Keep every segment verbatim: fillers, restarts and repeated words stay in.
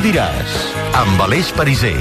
diràs, amb Aleix Pariser.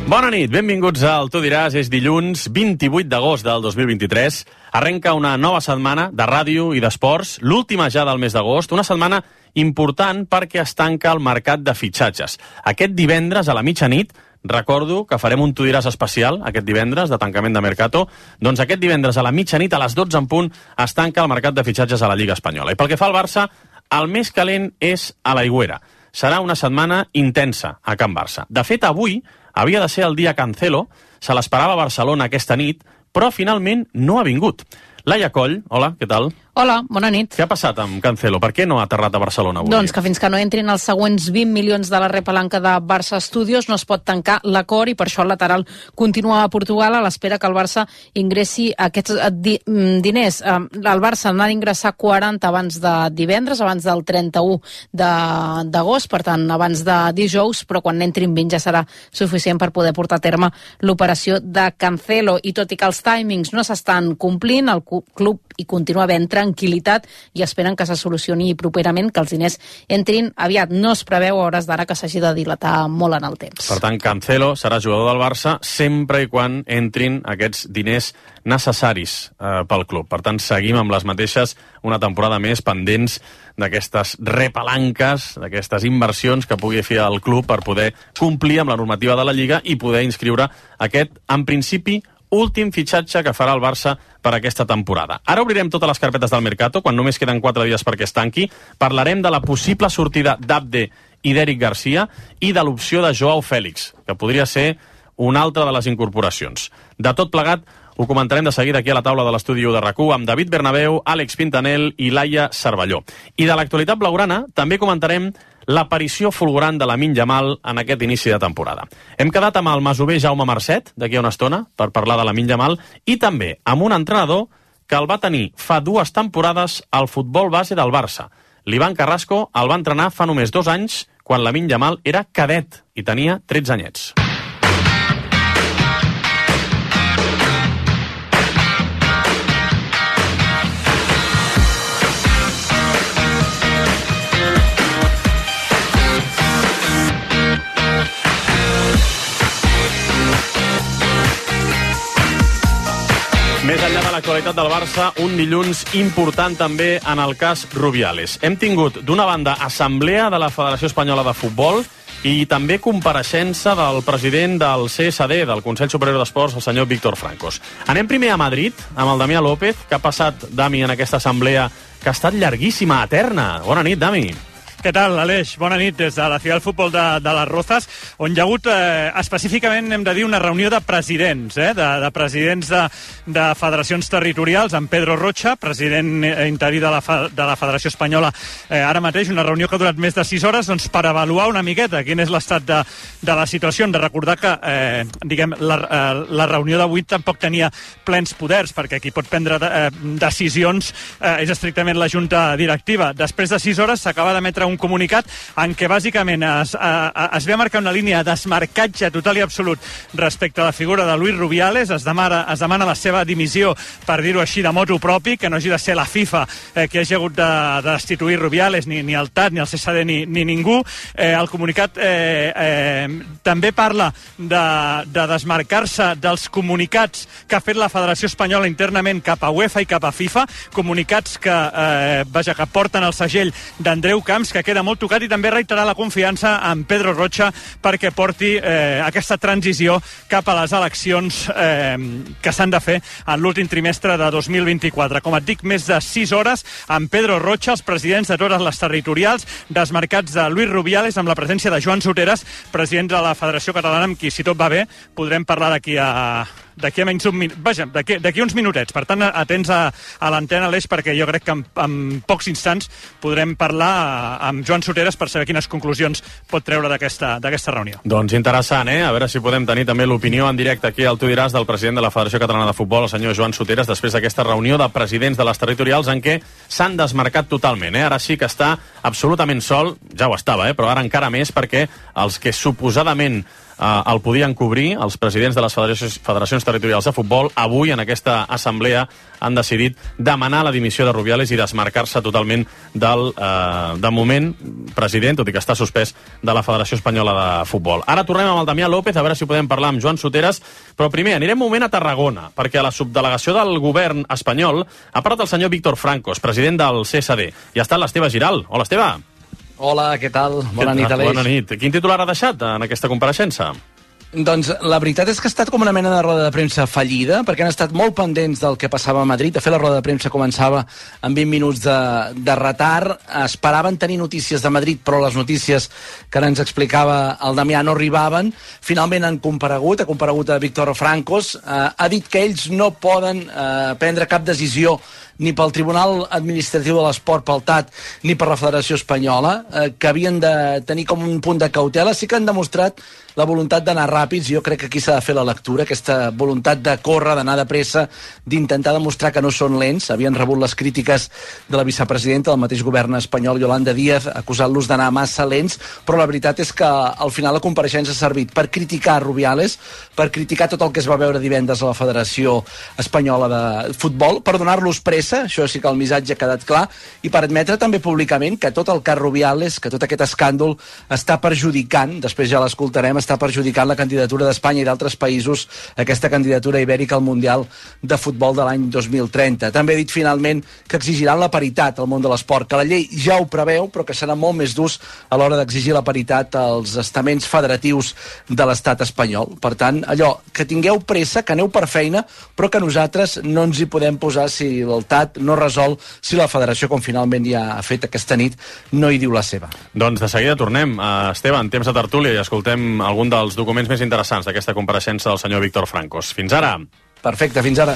Bona nit, benvinguts al Tu diràs. És dilluns vint-i-vuit d'agost del dos mil vint-i-tres. Arrenca una nova setmana de ràdio i d'esports, l'última ja del mes d'agost, una setmana important perquè es tanca el mercat de fitxatges. Aquest divendres a la mitjanit, recordo que farem un Tu diràs especial, aquest divendres, de tancament de Mercato. Doncs aquest divendres a la mitjanit, a les dotze en punt, es tanca el mercat de fitxatges a la Lliga Espanyola. I pel que fa al Barça, el més calent és a l'Aigüera. Serà una setmana intensa a Can Barça. De fet, avui havia de ser el dia Cancelo, se l'esperava a Barcelona aquesta nit, però finalment no ha vingut. Laia Coll, hola, què tal? Hola, bona nit. Què ha passat amb Cancelo? Per què no ha aterrat a Barcelona avui? Doncs que fins que no entrin els següents vint milions de la repalanca de Barça Studios no es pot tancar l'acord i per això el lateral continua a Portugal a l'espera que el Barça ingressi aquests di diners. El Barça n'ha d'ingressar quaranta abans de divendres, abans del trenta-u d'agost, per tant, abans de dijous, però quan n'entrin vint ja serà suficient per poder portar a terme l'operació de Cancelo. I tot i que els timings no s'estan complint, el club hi continua havent tranquil·litat i esperen que se solucioni properament, que els diners entrin aviat. No es preveu a hores d'ara que s'hagi de dilatar molt en el temps. Per tant, Cancelo serà jugador del Barça sempre i quan entrin aquests diners necessaris eh, pel club. Per tant, seguim amb les mateixes una temporada més pendents d'aquestes repalanques, d'aquestes inversions que pugui fer el club per poder complir amb la normativa de la Lliga i poder inscriure aquest, en principi, últim fitxatge que farà el Barça per aquesta temporada. Ara obrirem totes les carpetes del Mercato, quan només queden quatre dies perquè es tanqui. Parlarem de la possible sortida d'Abde i d'Eric Garcia i de l'opció de Joao Fèlix, que podria ser una altra de les incorporacions. De tot plegat, ho comentarem de seguida aquí a la taula de l'estudi de RAC u amb David Bernabéu, Àlex Pintanel i Laia Cervelló. I de l'actualitat blaugrana també comentarem l'aparició fulgurant de Lamine Yamal en aquest inici de temporada. Hem quedat amb el masover Jaume Marcet, d'aquí a una estona, per parlar de Lamine Yamal, i també amb un entrenador que el va tenir fa dues temporades al futbol base del Barça. L'Ivan Carrasco el va entrenar fa només dos anys, quan Lamine Yamal era cadet i tenia tretze anyets. Més enllà de l'actualitat del Barça, un dilluns important també en el cas Rubiales. Hem tingut, d'una banda, assemblea de la Federació Espanyola de Futbol i també compareixença del president del C S D, del Consell Superior d'Esports, el senyor Víctor Francos. Anem primer a Madrid, amb el Damià López. Què ha passat, Dami, en aquesta assemblea que ha estat llarguíssima, eterna? Bona nit, Dami. Què tal, Aleix? Bona nit des de la Ciutat del Futbol de, de les Rozas, on hi ha hagut eh, específicament, hem de dir, una reunió de presidents, eh, de, de presidents de, de federacions territorials, amb Pedro Rocha, president interí de la, de la Federació Espanyola, eh, ara mateix, una reunió que ha durat més de sis hores, doncs, per avaluar una miqueta quin és l'estat de, de la situació. Hem de recordar que, eh, diguem, la, eh, la reunió d'avui tampoc tenia plens poders, perquè qui pot prendre de, eh, decisions eh, és estrictament la junta directiva. Després de sis hores s'acaba d'emetre un comunicat en què bàsicament es, a, es ve a marcar una línia de desmarcatge total i absolut respecte a la figura de Luis Rubiales. Es demana, es demana la seva dimissió, per dir-ho així, de motu propi, que no hagi de ser la FIFA eh, que hagi hagut de, de destituir Rubiales, ni, ni el T A T, ni el C S D, ni, ni ningú. Eh, el comunicat eh, eh, també parla de, de desmarcar-se dels comunicats que ha fet la Federació Espanyola internament cap a UEFA i cap a FIFA, comunicats que, eh, vaja, que porten el segell d'Andreu Camps, que queda molt tocat, i també reiterar la confiança en Pedro Rocha perquè porti eh, aquesta transició cap a les eleccions eh, que s'han de fer en l'últim trimestre de dos mil vint-i-quatre. Com et dic, més de sis hores amb Pedro Rocha, els presidents de totes les territorials, desmarcats de Luis Rubiales, amb la presència de Joan Soteras, president de la Federació Catalana, amb qui, si tot va bé, podrem parlar d'aquí a... d'aquí a menys un minut, vaja, d'aquí uns minutets. Per tant, atents a, a l'antena, Aleix, perquè jo crec que en, en pocs instants podrem parlar amb Joan Soteras per saber quines conclusions pot treure d'aquesta reunió. Doncs interessant, eh? A veure si podem tenir també l'opinió en directe aquí al Tu diràs del president de la Federació Catalana de Futbol, el senyor Joan Soteras, després d'aquesta reunió de presidents de les territorials en què s'han desmarcat totalment, eh? Ara sí que està absolutament sol, ja ho estava, eh? Però ara encara més, perquè els que suposadament el podien cobrir. Els presidents de les federacions, federacions territorials de futbol avui en aquesta assemblea han decidit demanar la dimissió de Rubiales i desmarcar-se totalment del, eh, de moment, president, tot i que està suspès, de la Federació Espanyola de Futbol. Ara tornem amb el Damià López, a veure si podem parlar amb Joan Soteres, però primer anirem un moment a Tarragona, perquè a la subdelegació del govern espanyol ha parlat el senyor Víctor Francos, president del C S D, i ha estat l'Esteve Giral. Hola, Esteve. Hola, què tal? Bona nit, Aleix. Bona nit. Quin titular ha deixat en aquesta compareixença? Doncs la veritat és que ha estat com una mena de roda de premsa fallida, perquè han estat molt pendents del que passava a Madrid. De fet, la roda de premsa començava amb vint minuts de, de retard. Esperaven tenir notícies de Madrid, però les notícies que ara ens explicava el Damià no arribaven. Finalment han comparegut, ha comparegut a Víctor Francos. Eh, ha dit que ells no poden eh, prendre cap decisió ni pel Tribunal Administratiu de l'Esport, pel T A T, ni per la Federació Espanyola, eh, que havien de tenir com un punt de cautela. Sí que han demostrat la voluntat d'anar ràpids. Jo crec que aquí s'ha de fer la lectura, aquesta voluntat de córrer, d'anar de pressa, d'intentar demostrar que no són lents. Havien rebut les crítiques de la vicepresidenta del mateix govern espanyol, Yolanda Díaz, acusant-los d'anar massa lents, però la veritat és que al final la compareixença ha servit per criticar Rubiales, per criticar tot el que es va veure divendres a la Federació Espanyola de Futbol, per donar-los pressa, això sí que el missatge ha quedat clar, i per admetre també públicament que tot el cas Rubiales, que tot aquest escàndol està perjudicant, després ja l'escoltarem, està perjudicant la candidatura d'Espanya i d'altres països, aquesta candidatura ibèrica al Mundial de Futbol de l'any dos mil trenta. També ha dit finalment que exigiran la paritat al món de l'esport, que la llei ja ho preveu, però que serà molt més durs a l'hora d'exigir la paritat als estaments federatius de l'estat espanyol. Per tant, allò, que tingueu pressa, que aneu per feina, però que nosaltres no ens hi podem posar si el T A T no resol, si la federació, com finalment ja ha fet aquesta nit, no hi diu la seva. Doncs de seguida tornem. Uh, Esteve, en temps de tertúlia, i escoltem algun dels documents més interessants d'aquesta compareixença del senyor Víctor Francos. Fins ara. Perfecte, fins ara.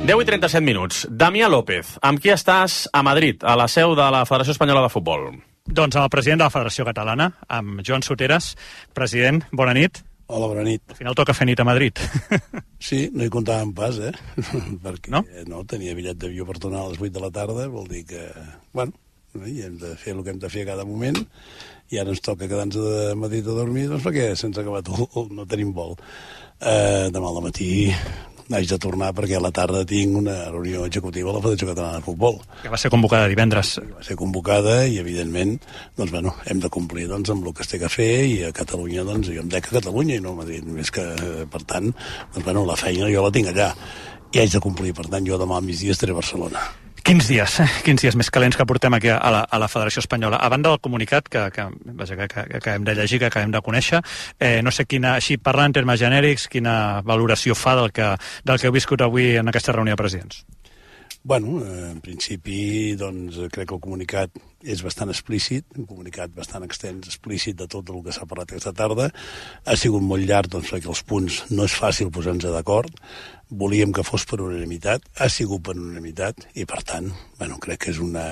deu i trenta-set minuts. Damià López, amb qui estàs a Madrid, a la seu de la Federació Espanyola de Futbol? Doncs amb el president de la Federació Catalana, amb Joan Soteres. President, bona nit. Hola, bona nit. Al final toca fer nit a Madrid. Sí, no hi comptàvem pas, eh? Perquè no? no, tenia bitllet d'avió per tornar a les vuit de la tarda, vol dir que, bueno, i hem de fer el que hem de fer a cada moment, i ara ens toca quedar-nos a Madrid a dormir, doncs perquè sense acabar tot no tenim vol. Eh, demà al matí haig de tornar perquè a la tarda tinc una reunió executiva a la Federació Catalana de Futbol. Que va ser convocada divendres. Va ser convocada i, evidentment, doncs, bueno, hem de complir doncs, amb el que es té que fer, i a Catalunya, doncs, jo em dec a Catalunya i no a Madrid. Més que, per tant, doncs, bueno, la feina jo la tinc allà i haig de complir. Per tant, jo demà al migdia estaré a Barcelona. Quins dies, eh? Quins dies més calents que portem aquí a la, a la Federació Espanyola. A banda del comunicat que, que, vaja, que, que, que acabem de llegir, que acabem de conèixer, eh, no sé quina, així parlant en termes genèrics, quina valoració fa del que, del que heu viscut avui en aquesta reunió de presidents. Bueno, en principi, doncs, crec que el comunicat és bastant explícit, un comunicat bastant extens, explícit de tot el que s'ha parlat aquesta tarda. Ha sigut molt llarg, doncs, perquè els punts no és fàcil posar-nos d'acord. Volíem que fos per unanimitat, ha sigut per unanimitat, i per tant, bueno, crec que és, una,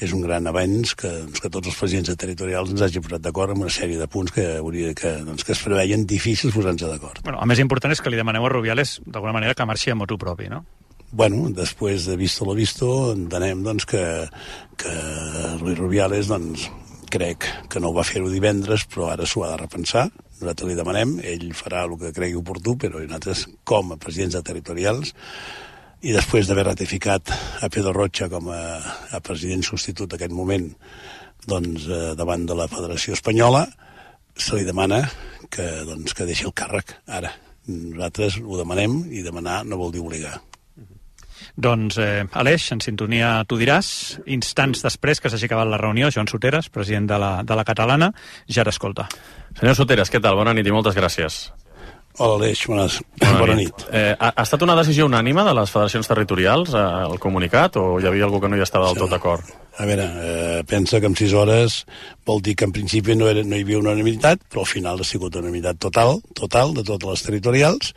és un gran avenç que, doncs, que tots els presidents territorials ens hagin posat d'acord amb una sèrie de punts que, hauria, que, doncs, que es preveien difícils posar-nos d'acord. Bueno, el més important és que li demaneu a Rubiales, d'alguna manera, que marxi a motu propi, no? Bueno, després de visto lo visto, entenem doncs, que, que Luis Rubiales, doncs, crec que no ho va fer-ho divendres, però ara s'ho ha de repensar. Nosaltres li demanem, ell farà el que cregui oportú, però nosaltres, com a presidents de territorials, i després d'haver ratificat a Pedro Rocha com a, a president substitut d'aquest moment, doncs, eh, davant de la Federació Espanyola, se li demana que, doncs, que deixi el càrrec ara. Nosaltres ho demanem, i demanar no vol dir obligar. Doncs, eh, Aleix, en sintonia tu diràs, instants després que s'hagi acabat la reunió, Joan Soteres, president de la, de la Catalana, ja t'escolta. Senyor Soteres, què tal? Bona nit i moltes gràcies. Hola, Aleix, bones, bona, bona nit. nit. Eh, ha, ha estat una decisió unànime de les federacions territorials, eh, el comunicat, o hi havia algú que no hi estava del tot d'acord? A veure, eh, pensa que en sis hores vol dir que en principi no, era, no hi havia unanimitat, però al final ha sigut unanimitat total, total, de totes les territorials,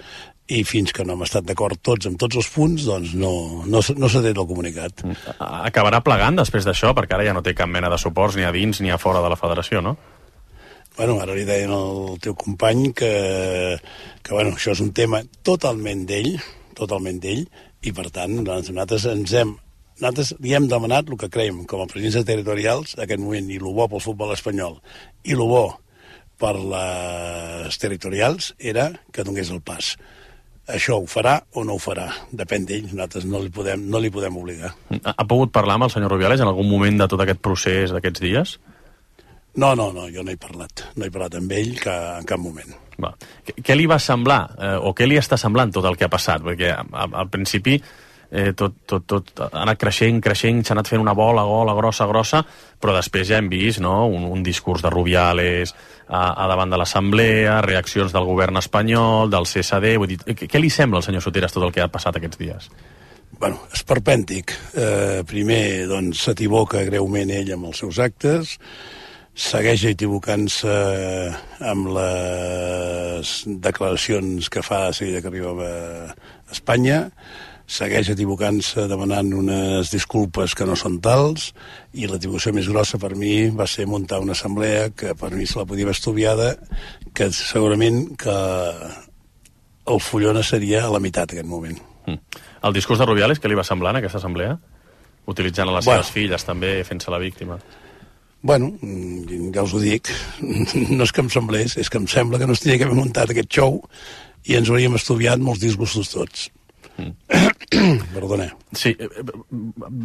i fins que no hem estat d'acord tots amb tots els punts, doncs no, no, no s'ha tret el comunicat. Acabarà plegant després d'això, perquè ara ja no té cap mena de suports ni a dins ni a fora de la federació, no? Bueno, ara li deien al teu company que, que bueno, això és un tema totalment d'ell, totalment d'ell, i per tant nosaltres ens hem nosaltres li hem demanat el que creiem com a presidents territorials en aquest moment, i el bo pel futbol espanyol i el bo per les territorials era que donés el pas. Això ho farà o no ho farà, depèn d'ell, nosaltres no li podem, no li podem obligar. Ha, ha pogut parlar amb el senyor Rubiales en algun moment de tot aquest procés d'aquests dies? No, no, no, jo no he parlat, no he parlat amb ell que, en cap moment. Va. Què, què li va semblar, eh, o què li està semblant tot el que ha passat? Perquè al, al principi eh, tot, tot, tot ha anat creixent, creixent, s'ha anat fent una bola, gola, grossa, grossa, però després ja hem vist, no?, un, un discurs de Rubiales a, a davant de l'Assemblea, reaccions del govern espanyol, del C S D... Vull dir, què, què li sembla al senyor Soteras tot el que ha passat aquests dies? Bueno, esperpèntic. Eh, primer, doncs, s'equivoca greument ell amb els seus actes, segueix equivocant-se amb les declaracions que fa a seguida que arriba a Espanya, segueix equivocant-se demanant unes disculpes que no són tals, i l'equivocació més grossa per mi va ser muntar una assemblea que per mi se la podia haver estudiada, que segurament que el Fullona seria a la meitat en aquest moment. Mm. El discurs de Rubiales, què li va semblar en aquesta assemblea? Utilitzant a les bueno. seves filles també, fent-se la víctima. Bueno, ja us ho dic, no és que em semblés, és que em sembla que no es tenia que haver muntat aquest show i ens hauríem estudiat molts disgustos tots. Mm. Perdona. Sí,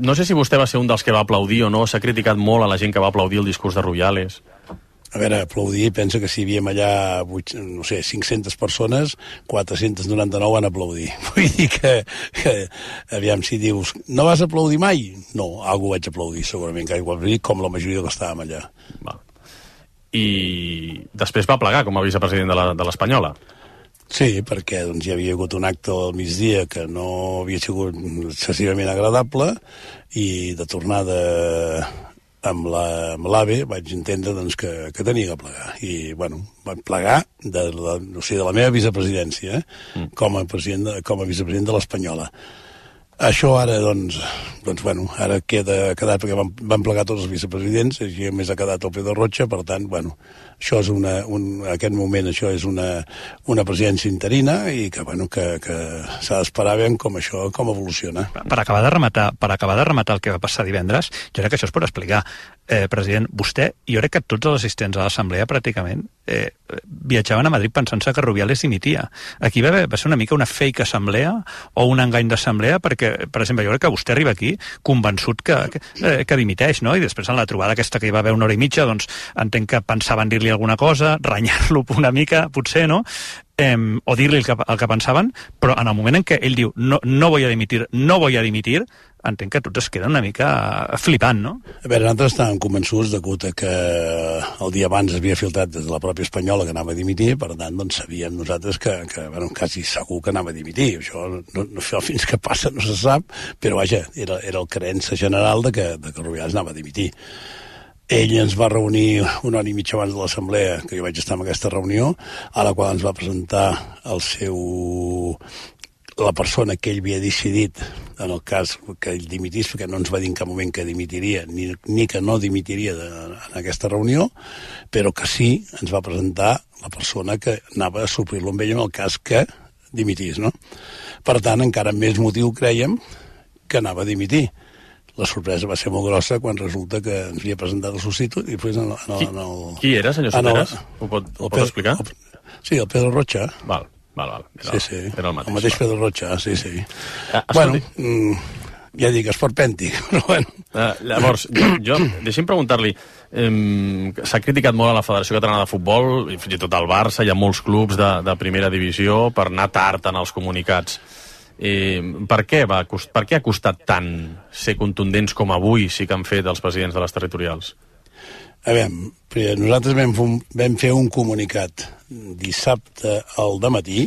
no sé si vostè va ser un dels que va aplaudir o no, s'ha criticat molt a la gent que va aplaudir el discurs de Rubiales. A veure, aplaudir, pensa que si hi havíem allà, no sé, cinc-centes persones, quatre-cents noranta-nou van aplaudir. Vull dir que, que, aviam, si dius, no vas aplaudir mai? No, algú vaig aplaudir, segurament, que igual com la majoria que estàvem allà. Va. I després va plegar com a vicepresident de l'Espanyola. Sí, perquè doncs, hi havia hagut un acte al migdia que no havia sigut excessivament agradable, i de tornada amb l'AVE vaig entendre doncs, que, que tenia que plegar. I, bueno, vaig plegar de la, o sigui, de la meva vicepresidència, eh? mm. com, a president de, com a vicepresident de l'Espanyola. Això ara, doncs, doncs bueno, ara queda quedat, perquè van, van plegar tots els vicepresidents, i a més ha quedat el Pedro Rocha, per tant, bueno, això és una, un, en aquest moment això és una, una presidència interina, i que, bueno, que, que s'ha d'esperar ben com això, com evoluciona. Per acabar de rematar, per acabar de rematar el que va passar divendres, jo crec que això es pot explicar. Eh, president, vostè, jo crec que tots els assistents a l'assemblea pràcticament eh, viatjaven a Madrid pensant-se que Rubiales dimitia. Aquí va, va ser una mica una fake assemblea o un engany d'assemblea, perquè, per exemple, jo crec que vostè arriba aquí convençut que, que, eh, que dimiteix, no? I després en la trobada aquesta que hi va haver una hora i mitja, doncs entenc que pensaven dir-li alguna cosa, renyar-lo una mica, potser, no? Eh, o dir-li el, que, el que pensaven, però en el moment en què ell diu no, no voy a dimitir, no voy a dimitir, entenc que tots es queden una mica flipant, no? A veure, nosaltres estàvem convençuts de que el dia abans havia filtrat des de la pròpia espanyola que anava a dimitir, per tant, doncs sabíem nosaltres que, que bueno, quasi segur que anava a dimitir. Això, no, no, fins que passa no se sap, però vaja, era, era el creença general de que, de que Rubiales anava a dimitir. Ell ens va reunir una hora i mitja abans de l'assemblea, que jo vaig estar en aquesta reunió, a la qual ens va presentar el seu... la persona que ell havia decidit en el cas que ell dimitís, perquè no ens va dir en cap moment que dimitiria, ni, ni que no dimitiria de, en aquesta reunió, però que sí ens va presentar la persona que anava a suplir-lo amb ell en el cas que dimitís, no? Per tant, encara més motiu crèiem que anava a dimitir. La sorpresa va ser molt grossa quan resulta que ens havia presentat el substitut i després en el... En el, en el qui, qui era, senyor Soteras? Ho pot, ho pot explicar? El, sí, el Pedro Rocha. Val. Val, val. Era, sí, sí. Era el mateix. El mateix Pedro Rocha, sí, sí. Ah, bueno, mm, ja dic, esperpèntic, però bueno. Uh, llavors, jo, jo deixi'm preguntar-li, um, s'ha criticat molt a la Federació Catalana de Futbol, i fins i tot al Barça, hi ha molts clubs de, de primera divisió per anar tard en els comunicats. Eh, per, què va, per què ha costat tant ser contundents com avui sí que han fet els presidents de les territorials? A veure, nosaltres vam fer, un, vam fer un comunicat dissabte al dematí,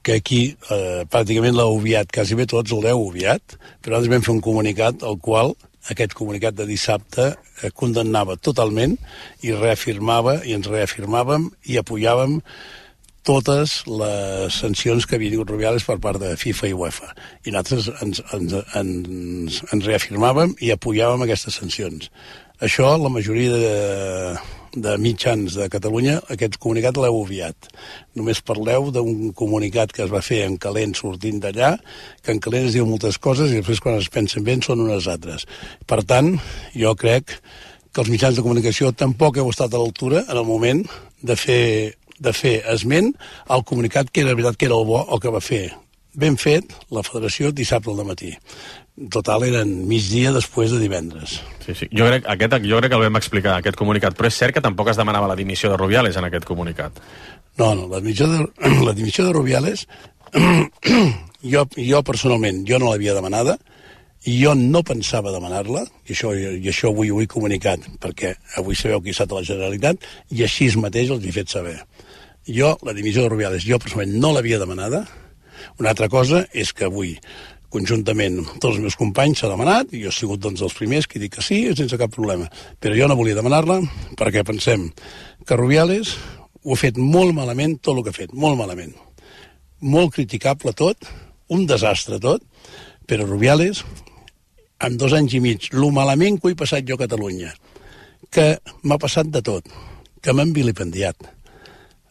que aquí eh, pràcticament l'heu obviat, quasi bé tots l'heu obviat, però nosaltres vam fer un comunicat al qual aquest comunicat de dissabte eh, condemnava totalment i reafirmava, i ens reafirmàvem i apoyàvem totes les sancions que havia tingut Rubiales per part de FIFA i UEFA. I nosaltres ens, ens, ens, ens reafirmàvem i apoyàvem aquestes sancions. Això la majoria de, de mitjans de Catalunya, aquest comunicat l'heu obviat. Només parleu d'un comunicat que es va fer en calent sortint d'allà, que en calent es diu moltes coses i després quan es pensen bé són unes altres. Per tant, jo crec que els mitjans de comunicació tampoc heu estat a l'altura en el moment de fer, de fer esment al comunicat que era veritat que era el bo el que va fer. Ben fet la federació dissabte al matí. Total, eren migdia després de divendres. Sí, sí. Jo crec, aquest, jo crec que el vam explicar, aquest comunicat, però és cert que tampoc es demanava la dimissió de Rubiales en aquest comunicat. No, no, la dimissió de, la dimissió de Rubiales jo, jo personalment, jo no l'havia demanada, i jo no pensava demanar-la, i això, i això avui ho he comunicat, perquè avui sabeu qui ha estat a la Generalitat, i així mateix els he fet saber. Jo, la dimissió de Rubiales, jo personalment no l'havia demanada. Una altra cosa és que avui, conjuntament, tots els meus companys s'ha demanat, i jo he sigut doncs dels primers que dic que sí, sense cap problema. Però jo no volia demanar-la, perquè pensem que Rubiales ho ha fet molt malament, tot el que ha fet, molt malament. Molt criticable tot, un desastre tot, però Rubiales, en dos anys i mig, lo malament que ho he passat jo a Catalunya, que m'ha passat de tot, que m'han vilipendiat,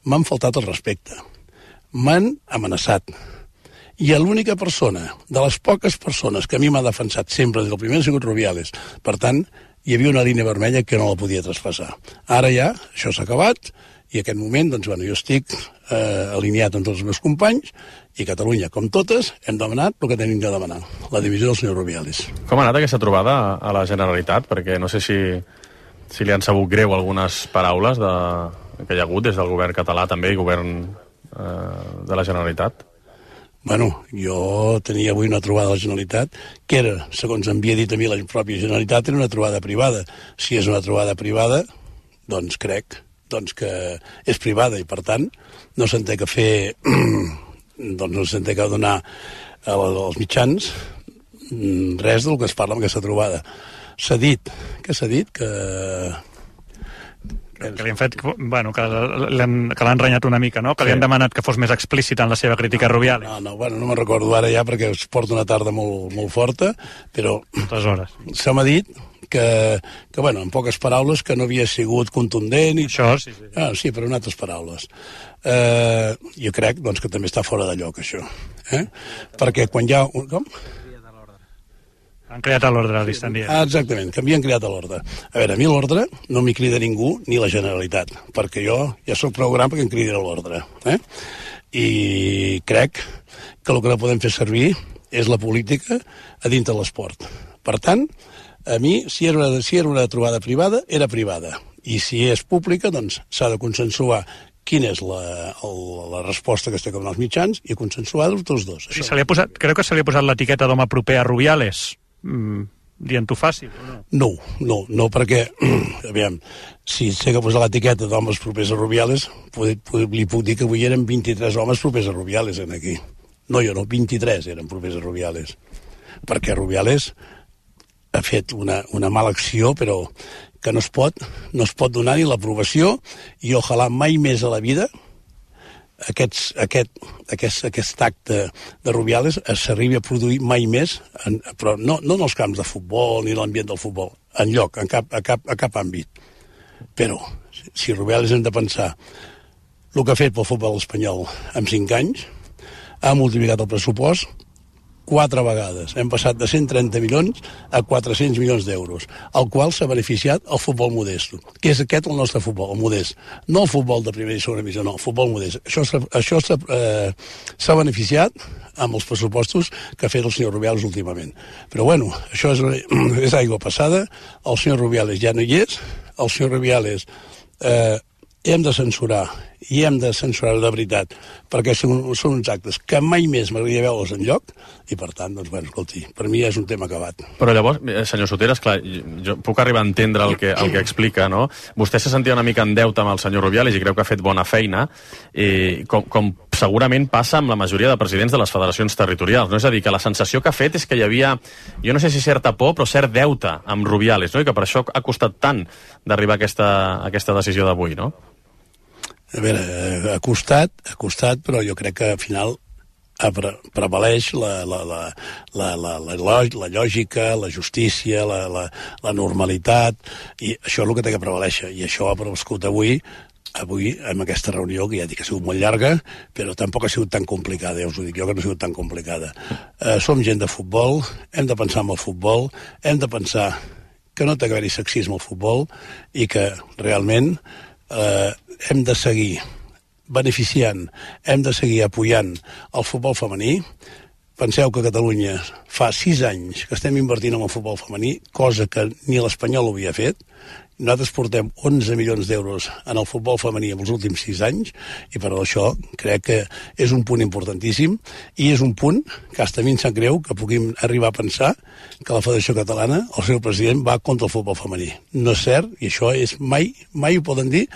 m'han faltat el respecte, m'han amenaçat, i l'única persona, de les poques persones que a mi m'ha defensat sempre des del primer ha sigut Rubiales. Per tant, hi havia una línia vermella que no la podia traspassar. Ara ja, això s'ha acabat, i en aquest moment, doncs, bueno, jo estic eh, alineat amb tots els meus companys, i Catalunya, com totes, hem demanat el que tenim de demanar, la divisió del senyor Rubiales. Com ha anat aquesta trobada a la Generalitat? Perquè no sé si, si li han sabut greu algunes paraules de, que hi ha hagut des del govern català també i govern eh, de la Generalitat. Bueno, jo tenia avui una trobada a la Generalitat que era, segons em havia dit a mi la pròpia Generalitat, era una trobada privada. Si és una trobada privada, doncs crec doncs que és privada i, per tant, no s'entén que fer... doncs no s'entén que donar als mitjans res del que es parla en aquesta trobada. S'ha dit, què s'ha dit? Que... Que li han fet, bueno, que l'han, que l'han renyat una mica, no? Que sí. Li han demanat que fos més explícit en la seva crítica a Rubiales. No, no, bueno, no me'n recordo ara ja perquè es porta una tarda molt, molt forta, però... Moltes hores. Se m'ha dit que, que, bueno, en poques paraules, que no havia sigut contundent. I... Això, sí, sí. Ah, sí, però en altres paraules. Eh, jo crec, doncs, que també està fora de lloc, això. Eh? Perquè quan hi ha... Un... Com? Han creat a l'ordre, li estan dient. Ah, exactament, que havien creat a l'ordre. A veure, a mi l'ordre no m'hi crida ningú, ni la Generalitat, perquè jo ja soc prou gran perquè em cridin a l'ordre. Eh? I crec que el que no podem fer servir és la política a dintre de l'esport. Per tant, a mi, si era, una, si era una trobada privada, era privada. I si és pública, doncs s'ha de consensuar quina és la, el, la resposta que es té com els mitjans i consensuar-ho tots dos. Sí, se li ha posat, creu que se li ha posat l'etiqueta d'home proper a Rubiales? Mm, dient-ho fàcil o no? No, no, no, perquè aviam, si sé que posar l'etiqueta d'homes propers a Rubiales, puc, puc, li puc dir que avui eren vint-i-tres homes propers a Rubiales en aquí. No, jo no, vint-i-tres eren propers a Rubiales, perquè Rubiales ha fet una, una mala acció, però que no es pot, no es pot donar ni l'aprovació, i ojalà mai més a la vida Aquests, aquest, aquest, aquest acte de Rubiales s'arribi a produir mai més, en, però no, no en els camps de futbol ni l'ambient del futbol, en lloc, en cap, a, cap, a cap àmbit. Però, si Rubiales hem de pensar el que ha fet pel futbol espanyol en cinc anys, ha multiplicat el pressupost quatre vegades. Hem passat de cent trenta milions a quatre-cents milions d'euros, al qual s'ha beneficiat el futbol modest, que és aquest el nostre futbol, el modest. No el futbol de primera i segona divisió, no, el futbol modest. Això s'ha això eh, s'ha beneficiat amb els pressupostos que ha fet el senyor Rubiales últimament. Però bueno, això és, és aigua passada, el senyor Rubiales ja no hi és, el senyor Rubiales eh, hem de censurar, i hem de censurar de veritat, perquè són, són uns actes que mai més m'agradaria veure'ls enlloc, i per tant, doncs, bueno, escolti, per mi ja és un tema acabat. Però llavors, senyor Soteras, clar, jo puc arribar a entendre el que, el que explica, no? Vostè se sentia una mica en deute amb el senyor Rubiales i creu que ha fet bona feina, i com, com segurament passa amb la majoria de presidents de les federacions territorials, no? És a dir, que la sensació que ha fet és que hi havia, jo no sé si certa por, però cert deute amb Rubiales, no? I que per això ha costat tant d'arribar a aquesta, a aquesta decisió d'avui, no? A veure, ha costat, ha costat, però jo crec que al final pre prevaleix la, la, la, la, la, la, la lògica, la justícia, la, la, la normalitat, i això és el que té que prevaleixer, i això ha prevalgut avui, avui, amb aquesta reunió, que ja dic que ha sigut molt llarga, però tampoc ha sigut tan complicada, ja us ho dic jo, que no ha sigut tan complicada. Eh, som gent de futbol, hem de pensar en el futbol, hem de pensar que no té que haver-hi sexisme al futbol, i que realment eh, hem de seguir beneficiant, hem de seguir apoyant el futbol femení. Penseu que a Catalunya fa sis anys que estem invertint en el futbol femení, cosa que ni l'Espanyol havia fet. Nosaltres portem onze milions d'euros en el futbol femení en els últims sis anys, i per això crec que és un punt importantíssim, i és un punt que hasta a mi em sap greu que puguem arribar a pensar que la Federació Catalana, el seu president, va contra el futbol femení. No és cert, i això és mai, mai ho poden dir.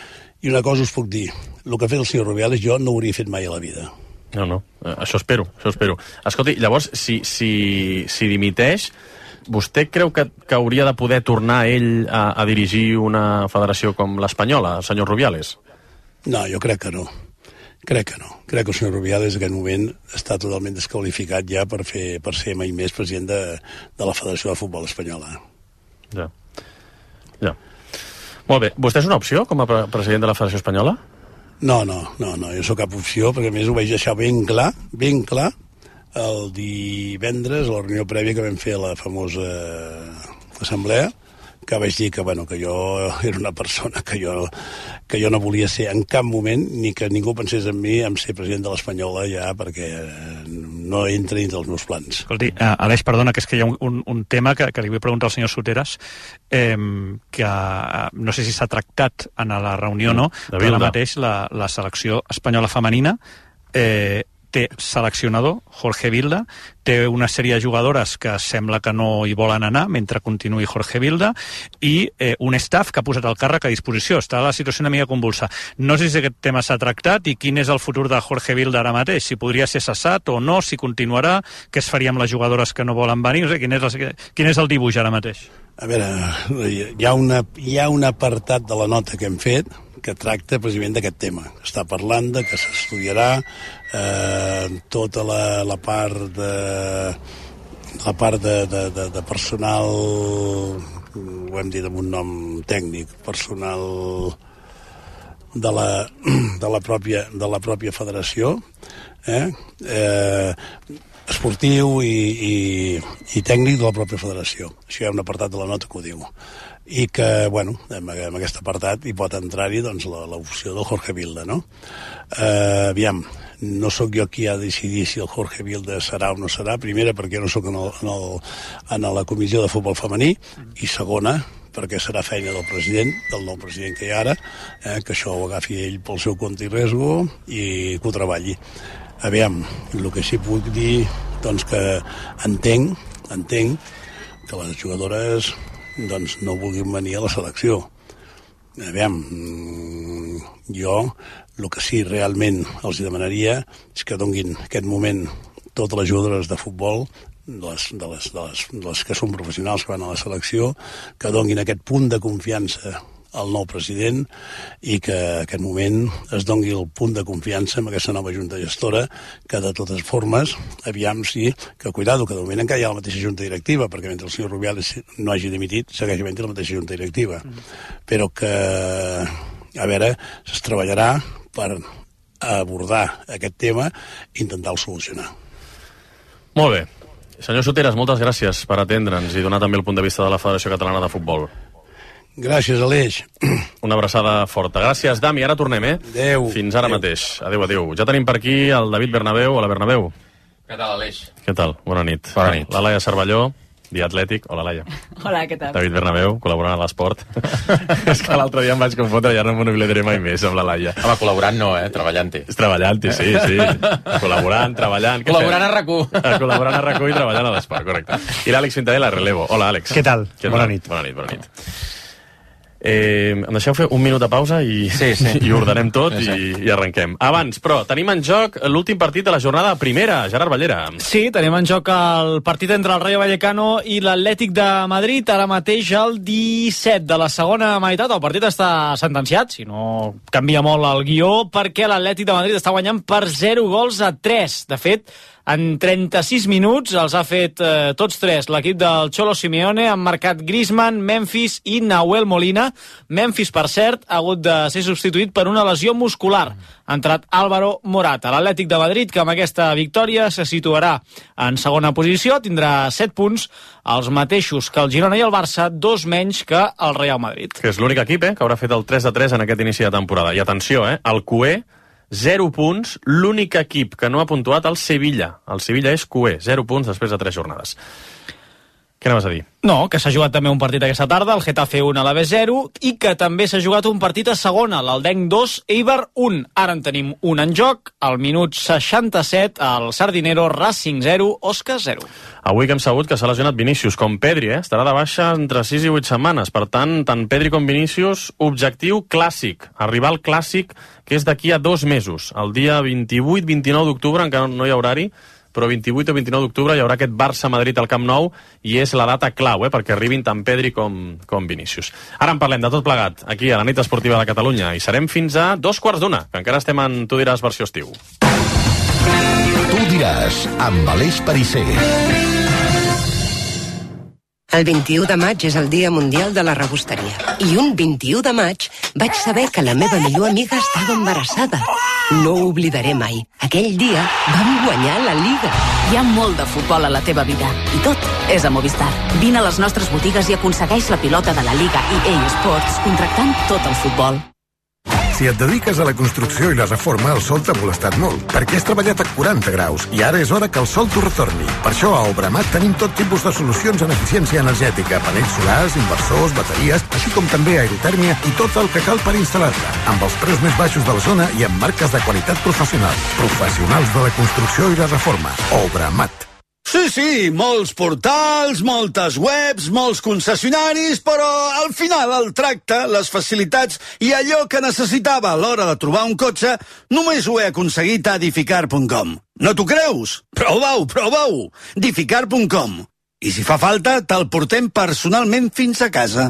I una cosa us puc dir, el que ha fet el senyor Rubiales jo no ho hauria fet mai a la vida. No, no, això espero, això espero. Escolti, llavors, si, si, si dimiteix, vostè creu que, que hauria de poder tornar ell a, a dirigir una federació com l'Espanyola, el senyor Rubiales? No, jo crec que no. Crec que no. Crec que el senyor Rubiales en aquest moment està totalment desqualificat ja per, fer, per ser mai més president de, de la Federació de Futbol Espanyola. Ja. Ja. Molt bé. Vostè és una opció com a pre president de la Federació Espanyola? No, no, no, no, jo sóc cap opció, perquè a més ho vaig deixar ben clar, ben clar, el divendres, a la reunió prèvia que vam fer a la famosa assemblea, que vaig dir que, bueno, que jo era una persona que jo, que jo no volia ser en cap moment, ni que ningú pensés en mi en ser president de l'Espanyola ja, perquè no entra dins dels meus plans. Escolti, uh, Aleix, perdona, que és que hi ha un, un, un tema que, que li vull preguntar al senyor Soteras, eh, que uh, no sé si s'ha tractat en la reunió o no, però ara mateix la, la selecció espanyola femenina eh, té seleccionador, Jorge Vilda, té una sèrie de jugadores que sembla que no hi volen anar mentre continuï Jorge Vilda, i eh, un staff que ha posat el càrrec a disposició. Està la situació una mica convulsa. No sé si aquest tema s'ha tractat i quin és el futur de Jorge Vilda ara mateix, si podria ser cessat o no, si continuarà, què es faria amb les jugadores que no volen venir, no sé, quin és, la, quin és el dibuix ara mateix? A veure, hi ha, una, hi ha un apartat de la nota que hem fet que tracta precisament d'aquest tema. Està parlant de que s'estudiarà eh, tota la, la part de la part de, de, de, de personal, ho hem dit amb un nom tècnic, personal de la, de la, pròpia, de la pròpia federació, eh? Eh, esportiu i, i, i tècnic de la pròpia federació. Això hi ha un apartat de la nota que ho diu. I que, bueno, en, en aquest apartat hi pot entrar-hi doncs, l'opció del Jorge Vilda, no? Eh, aviam, no sóc jo qui ha de decidir si el Jorge Vilda serà o no serà, primera perquè no sóc en, el, en, el, en la comissió de futbol femení, i segona perquè serà feina del president, del nou president que hi ha ara, eh, que això ho agafi ell pel seu compte i riesgo i que ho treballi. Aviam, el que sí puc dir, doncs que entenc, entenc que les jugadores doncs no vulguin venir a la selecció. Aviam, jo el que sí realment els demanaria és que donguin aquest moment totes les jugadores de futbol, de les, de, les, de, les, de les que són professionals que van a la selecció, que donguin aquest punt de confiança al nou president, i que en aquest moment es dongui el punt de confiança amb aquesta nova junta gestora, que de totes formes, aviam si, que cuidado, que de moment encara hi ha la mateixa junta directiva, perquè mentre el senyor Rubiales no hagi dimitit, segueix havent-hi la mateixa junta directiva. Mm. Però que, a veure, es treballarà per abordar aquest tema i intentar-ho solucionar. Molt bé. Senyor Soteras, moltes gràcies per atendre'ns i donar també el punt de vista de la Federació Catalana de Futbol. Gràcies, Aleix. Una abraçada forta. Gràcies, Dami. Ara tornem, eh? Adéu. Fins ara adéu. mateix. Adéu, adéu. Ja tenim per aquí el David Bernabéu. Hola, Bernabéu. Què tal, Aleix? Què tal? Bona nit. Bona nit. La Laia Cervelló, Diatlètic. Hola, Laia. Hola, què tal? David Bernabéu, col·laborant a l'esport. És que l'altre dia em vaig confondre i ara no m'ho oblidaré mai més amb la Laia. Home, col·laborant no, eh? Treballant-hi. Treballant-hi, sí, sí. Col·laborant, treballant. Col·laborant a RAC u. Col·laborant a RAC u i treballant a l'esport, correcte. I l'Àlex Fintadella, relevo. Hola, Àlex. Què tal? Què Bona tal? nit. Bona nit, bona nit. Eh, em deixeu fer un minut de pausa i, sí, sí. i ordenem tot sí, sí. I, i arrenquem. Abans, però, tenim en joc l'últim partit de la jornada primera. Gerard Ballera. Sí, tenim en joc el partit entre el Rayo Vallecano i l'Atlètic de Madrid, ara mateix al disset de la segona meitat. El partit està sentenciat, si no canvia molt el guió, perquè l'Atlètic de Madrid està guanyant per zero gols a tres. De fet, en trenta-sis minuts els ha fet eh, tots tres l'equip del Cholo Simeone. Han marcat Griezmann, Memphis i Nahuel Molina. Memphis, per cert, ha hagut de ser substituït per una lesió muscular. Ha entrat Álvaro Morata. L'Atlètic de Madrid, que amb aquesta victòria se situarà en segona posició, tindrà set punts, els mateixos que el Girona i el Barça, dos menys que el Real Madrid. Que és l'únic equip eh, que haurà fet el tres de tres en aquest inici de temporada. I atenció, eh, el Q E, zero punts, l'únic equip que no ha puntuat el Sevilla. El Sevilla és Q E, zero punts després de tres jornades. Què anaves a dir? No, que s'ha jugat també un partit aquesta tarda, el Getafe un a l'Alavés zero, i que també s'ha jugat un partit a segona, l'Aldenc dos, Eibar un. Ara en tenim un en joc, al minut seixanta-set, el Sardinero, Racing zero, Osca zero. Avui que hem sabut que s'ha lesionat Vinícius, com Pedri, eh? Estarà de baixa entre sis i vuit setmanes. Per tant, tant Pedri com Vinícius, objectiu clàssic, arribar al clàssic, que és d'aquí a dos mesos. El dia vint-i-vuit vint-i-nou d'octubre, encara no hi ha horari, però vint-i-vuit o vint-i-nou d'octubre hi haurà aquest Barça-Madrid al Camp Nou i és la data clau, eh, perquè arribin tant Pedri com, com Vinícius. Ara en parlem de tot plegat, aquí a la nit esportiva de Catalunya, i serem fins a dos quarts d'una, que encara estem en Tu diràs versió estiu. Tu diràs, amb Aleix Perisser. El vint-i-u de maig és el Dia Mundial de la Rebosteria. I un vint-i-u de maig vaig saber que la meva millor amiga estava embarassada. No ho oblidaré mai. Aquell dia vam guanyar la Liga. Hi ha molt de futbol a la teva vida. I tot és a Movistar. Vine a les nostres botigues i aconsegueix la pilota de la Liga E A Sports contractant tot el futbol. Si et dediques a la construcció i la reforma, el sol t'ha molestat molt, perquè has treballat a quaranta graus i ara és hora que el sol t'ho retorni. Per això a Obramat tenim tot tipus de solucions en eficiència energètica, panells solars, inversors, bateries, així com també aerotèrmia i tot el que cal per instal·lar-la, amb els preus més baixos de la zona i amb marques de qualitat professional. Professionals de la construcció i la reforma. Obramat. Sí, sí, molts portals, moltes webs, molts concessionaris, però al final el tracte, les facilitats i allò que necessitava a l'hora de trobar un cotxe només ho he aconseguit a Dificar punt com. No t'ho creus? Prova-ho, prova-ho! Dificar punt com. I si fa falta, te'l portem personalment fins a casa.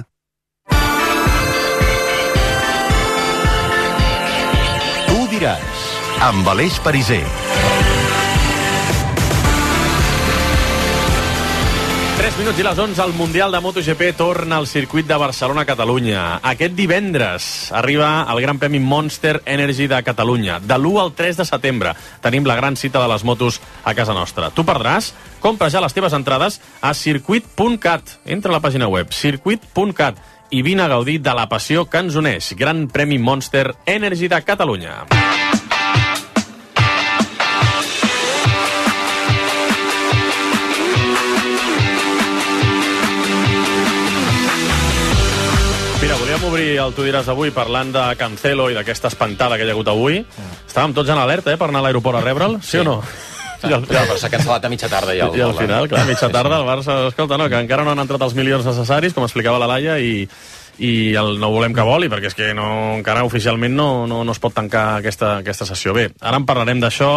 Tu diràs, amb Aleix Perisser. tres minuts i les onze, el Mundial de MotoGP torna al circuit de Barcelona-Catalunya. Aquest divendres arriba el Gran Premi Monster Energy de Catalunya. De l'u al tres de setembre tenim la gran cita de les motos a casa nostra. Tu perdràs? Compra ja les teves entrades a circuit punt cat. Entra a la pàgina web circuit punt cat i vine a gaudir de la passió que ens uneix. Gran Premi Monster Energy de Catalunya. Mira, volíem obrir el Tu diràs avui parlant de Cancelo i d'aquesta espantada que hi ha hagut avui. Estàvem tots en alerta, eh, per anar a l'aeroport a rebre'l, sí, sí o no? Sí. I el, ja, però s'ha cancel·lat a mitja tarda ja. El, I al final, clar, a mitja tarda el Barça, escolta, no, que encara no han entrat els milions necessaris, com explicava la Laia, i, i el no volem que voli, perquè és que no, encara oficialment no, no, no es pot tancar aquesta, aquesta sessió. Bé, ara en parlarem d'això,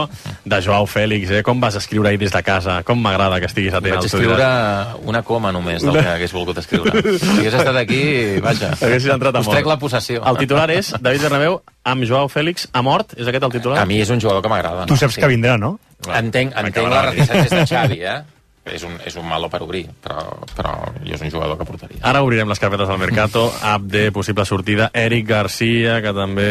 de Joao Fèlix, eh? Com vas escriure ahir des de casa, com m'agrada que estiguis atent. Vaig escriure una coma només del que hagués volgut escriure. Si hagués estat aquí, vaja, haguessis entrat a us mort. trec la possessió. El titular és David Bernabéu amb Joao Fèlix a mort, és aquest el titular? A mi és un jugador que m'agrada. Tu no? saps Sí. que vindrà, no? Entenc, entenc les reticències de Xavi, eh? És un, és un malo per obrir, però, però jo és un jugador que portaria. Ara obrirem les carpetes del Mercato. Abde, possible sortida. Eric Garcia, que també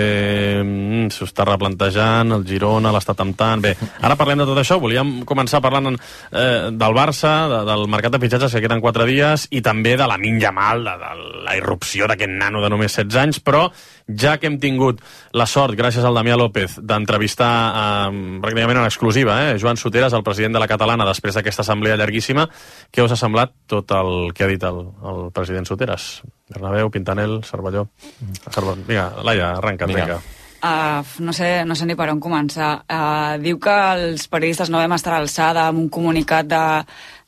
mm, s'ho està replantejant. El Girona l'està temptant. Bé, ara parlem de tot això. Volíem començar parlant eh, del Barça, de, del mercat de fitxatges, que queden quatre dies, i també de la Lamine Yamal, de, de la irrupció d'aquest nano de només setze anys, però ja que hem tingut la sort, gràcies al Damià López, d'entrevistar eh, pràcticament en exclusiva eh, Joan Soteras, el president de la Catalana, després d'aquesta assemblea llarguíssima, què us ha semblat tot el que ha dit el, el president Soteras? Bernabéu, Pintanel, Cervelló... Cervelló. Vinga, Laia, arranca't, vinga. Uh, no, sé, no sé ni per on començar. Uh, diu que els periodistes no vam estar a l'alçada amb un comunicat de,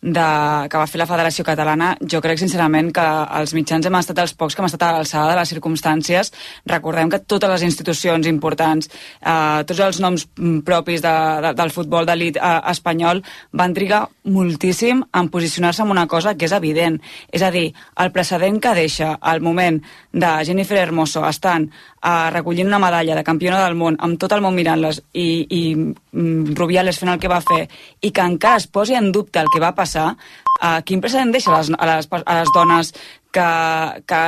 de, que va fer la Federació Catalana, jo crec sincerament que els mitjans hem estat els pocs que hem estat a l'alçada de les circumstàncies. Recordem que totes les institucions importants, eh, tots els noms propis de, de, del futbol d'elit eh, espanyol van trigar moltíssim en posicionar-se en una cosa que és evident. És a dir, el precedent que deixa al moment de Jennifer Hermoso estant eh, recollint una medalla de campiona del món, amb tot el món mirant-les, i, i mm, Rubiales fent el que va fer, i que encara es posi en dubte el que va passar, eh, quin precedent deixa a les, a les, a les dones que, que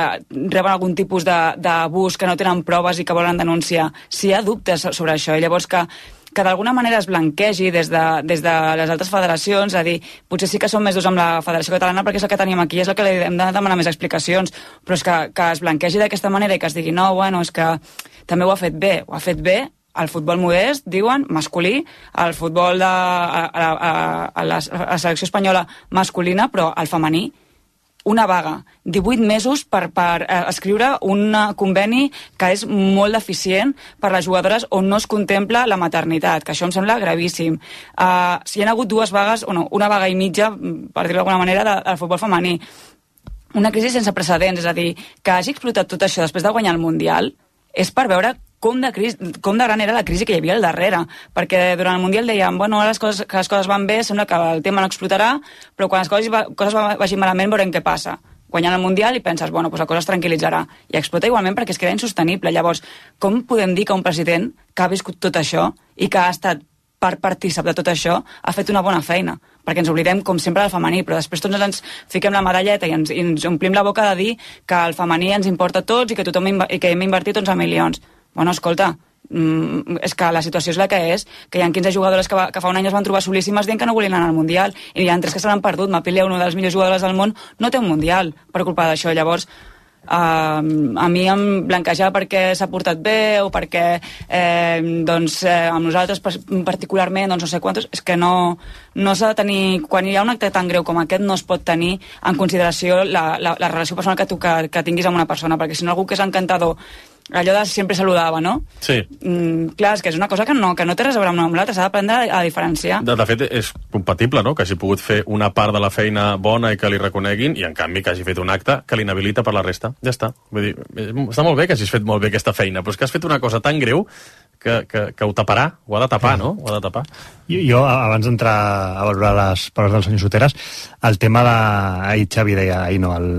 reben algun tipus d'abús, que no tenen proves i que volen denunciar? Si hi ha dubtes sobre això, i llavors que que d'alguna manera es blanquegi des de, des de les altres federacions, a dir, potser sí que som més durs amb la Federació Catalana perquè és el que tenim aquí, és el que li hem de demanar més explicacions, però és que, que es blanquegi d'aquesta manera i que es digui, no, bueno, és que també ho ha fet bé, ho ha fet bé el futbol modest, diuen, masculí, el futbol de a, a, a, a, la, a la selecció espanyola masculina, però el femení, una vaga, divuit mesos per, per eh, escriure un conveni que és molt deficient per les jugadores on no es contempla la maternitat, que això em sembla gravíssim. Uh, si hi ha hagut dues vagues, o no, una vaga i mitja, per dir-ho d'alguna manera, de, del futbol femení. Una crisi sense precedents, és a dir, que hagi explotat tot això després de guanyar el Mundial, és per veure com de, crisi, com de gran era la crisi que hi havia al darrere, perquè durant el Mundial dèiem, bueno, ara les coses, que les coses van bé, sembla que el tema no explotarà, però quan les coses, coses vagin malament veurem què passa. Guanyant el Mundial i penses, bueno, doncs la cosa es tranquil·litzarà. I explota igualment perquè es queda insostenible. Llavors, com podem dir que un president que ha viscut tot això i que ha estat part partícip de tot això ha fet una bona feina? Perquè ens oblidem, com sempre, del femení, però després tots ens fiquem la medalleta i ens, i ens omplim la boca de dir que el femení ens importa a tots i que tothom i que hem invertit onze milions. Bueno, escolta, mm, és que la situació és la que és, que hi ha quinze jugadores que, va, que fa un any es van trobar solíssimes dient que no volien anar al Mundial, i hi ha tres que se l'han perdut. Mapile, una de les millors jugadores del món, no té un Mundial per culpa d'això. Llavors, Uh, a mi em blanquejar perquè s'ha portat bé o perquè eh, doncs, eh, amb nosaltres particularment doncs no sé quantos, és que no, no s'ha de tenir, quan hi ha un acte tan greu com aquest no es pot tenir en consideració la, la, la relació personal que tu que, que tinguis amb una persona, perquè si no algú que és encantador, allò de sempre saludava, no? Sí. Mm, clar, és que és una cosa que no, que no té res a veure amb una amb l'altra, s'ha d'aprendre a, a diferenciar. De, de fet, és compatible, no?, que hagi pogut fer una part de la feina bona i que li reconeguin, i en canvi que hagi fet un acte que l'inhabilita per la resta. Ja està. Vull dir, està molt bé que hagis fet molt bé aquesta feina, però és que has fet una cosa tan greu que, que, que ho taparà, ho ha de tapar, no? Ho ha de tapar. Jo, jo abans d'entrar a valorar les paraules del senyor Soteras, el tema de... Ahir Xavi deia, ahir no, el,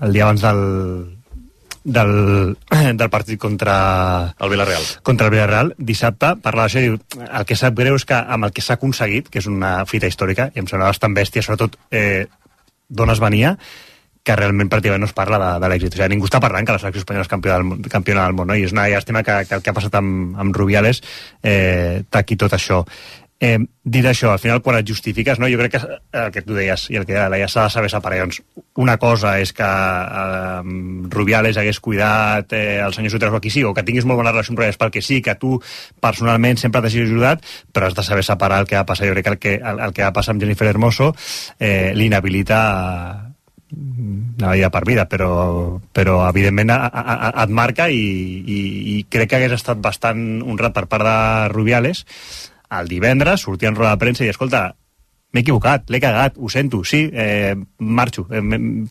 el dia abans del... Del, del partit contra el Villarreal. Contra el Villarreal, dissabte, parlava d'això i diu, el que sap greu és que amb el que s'ha aconseguit, que és una fita històrica, i em semblava bastant bèstia, sobretot eh, d'on es venia, que realment pràcticament no es parla de, de l'èxit. O sigui, ningú està parlant que la selecció espanyola és campiona del, campiona del món, no? I és una llàstima que, que el que ha passat amb, amb Rubiales eh, taqui tot això. Eh, dit això, al final quan et justifiques, no? Jo crec que el que tu deies i el que deia, s'ha de saber separar. Doncs una cosa és que eh, Rubiales hagués cuidat eh, el senyor Soteras o qui sí, o que tinguis molt bona relació amb Rubiales pel que sí, que tu personalment sempre t'hagis ajudat, però has de saber separar el que va passar. Jo crec que el que, el, el que va passar amb Jennifer Hermoso eh, l'inhabilita una vida per vida, però, però evidentment a, a, a, et marca i, i, i crec que hagués estat bastant honrat per part de Rubiales el divendres sortir en roda de premsa i dir, escolta, m'he equivocat, l'he cagat, ho sento, sí, eh, marxo, eh,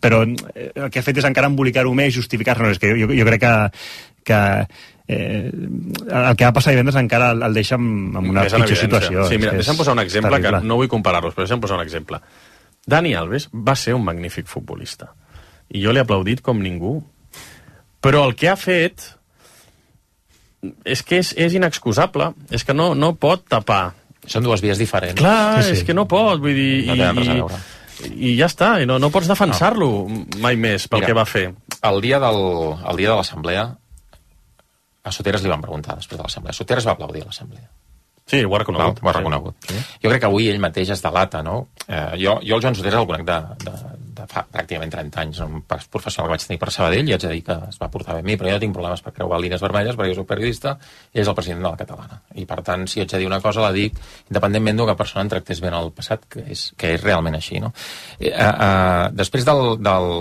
però el que ha fet és encara embolicar-ho més i justificar-se. No, és que jo, jo crec que, que eh, el que va passar divendres encara el, el deixa en, en una pitjor situació. Sí, mira, deixa'm posar un exemple, terrible. Que no vull comparar-los, però deixa'm posar un exemple. Dani Alves va ser un magnífic futbolista, i jo l'he aplaudit com ningú, però el que ha fet és que és, és inexcusable, és que no, no pot tapar. Són dues vies diferents. Clar, sí, sí. És que no pot, vull dir... No tenen res a veure. I, i ja està, i no, no pots defensar-lo no. mai més pel Mira, que va fer. El dia, del, el dia de l'assemblea, a Soteras li van preguntar després de l'assemblea. Soteras va aplaudir a l'assemblea. Sí, ho ha reconegut. No, ho ha reconegut. Sí. Jo crec que avui ell mateix es delata, no? Eh, jo, jo el Joan Soteras el conec de, de, de fa pràcticament trenta anys, un professional que vaig tenir per Sabadell, i haig de dir que es va portar bé amb mi, però jo no tinc problemes per creuar línies vermelles, perquè jo soc periodista i ell és el president de la Catalana. I per tant, si haig de dir una cosa, la dic independentment d'una persona en tractés bé en el passat, que és, que és realment així, no? Eh, eh, després del, del,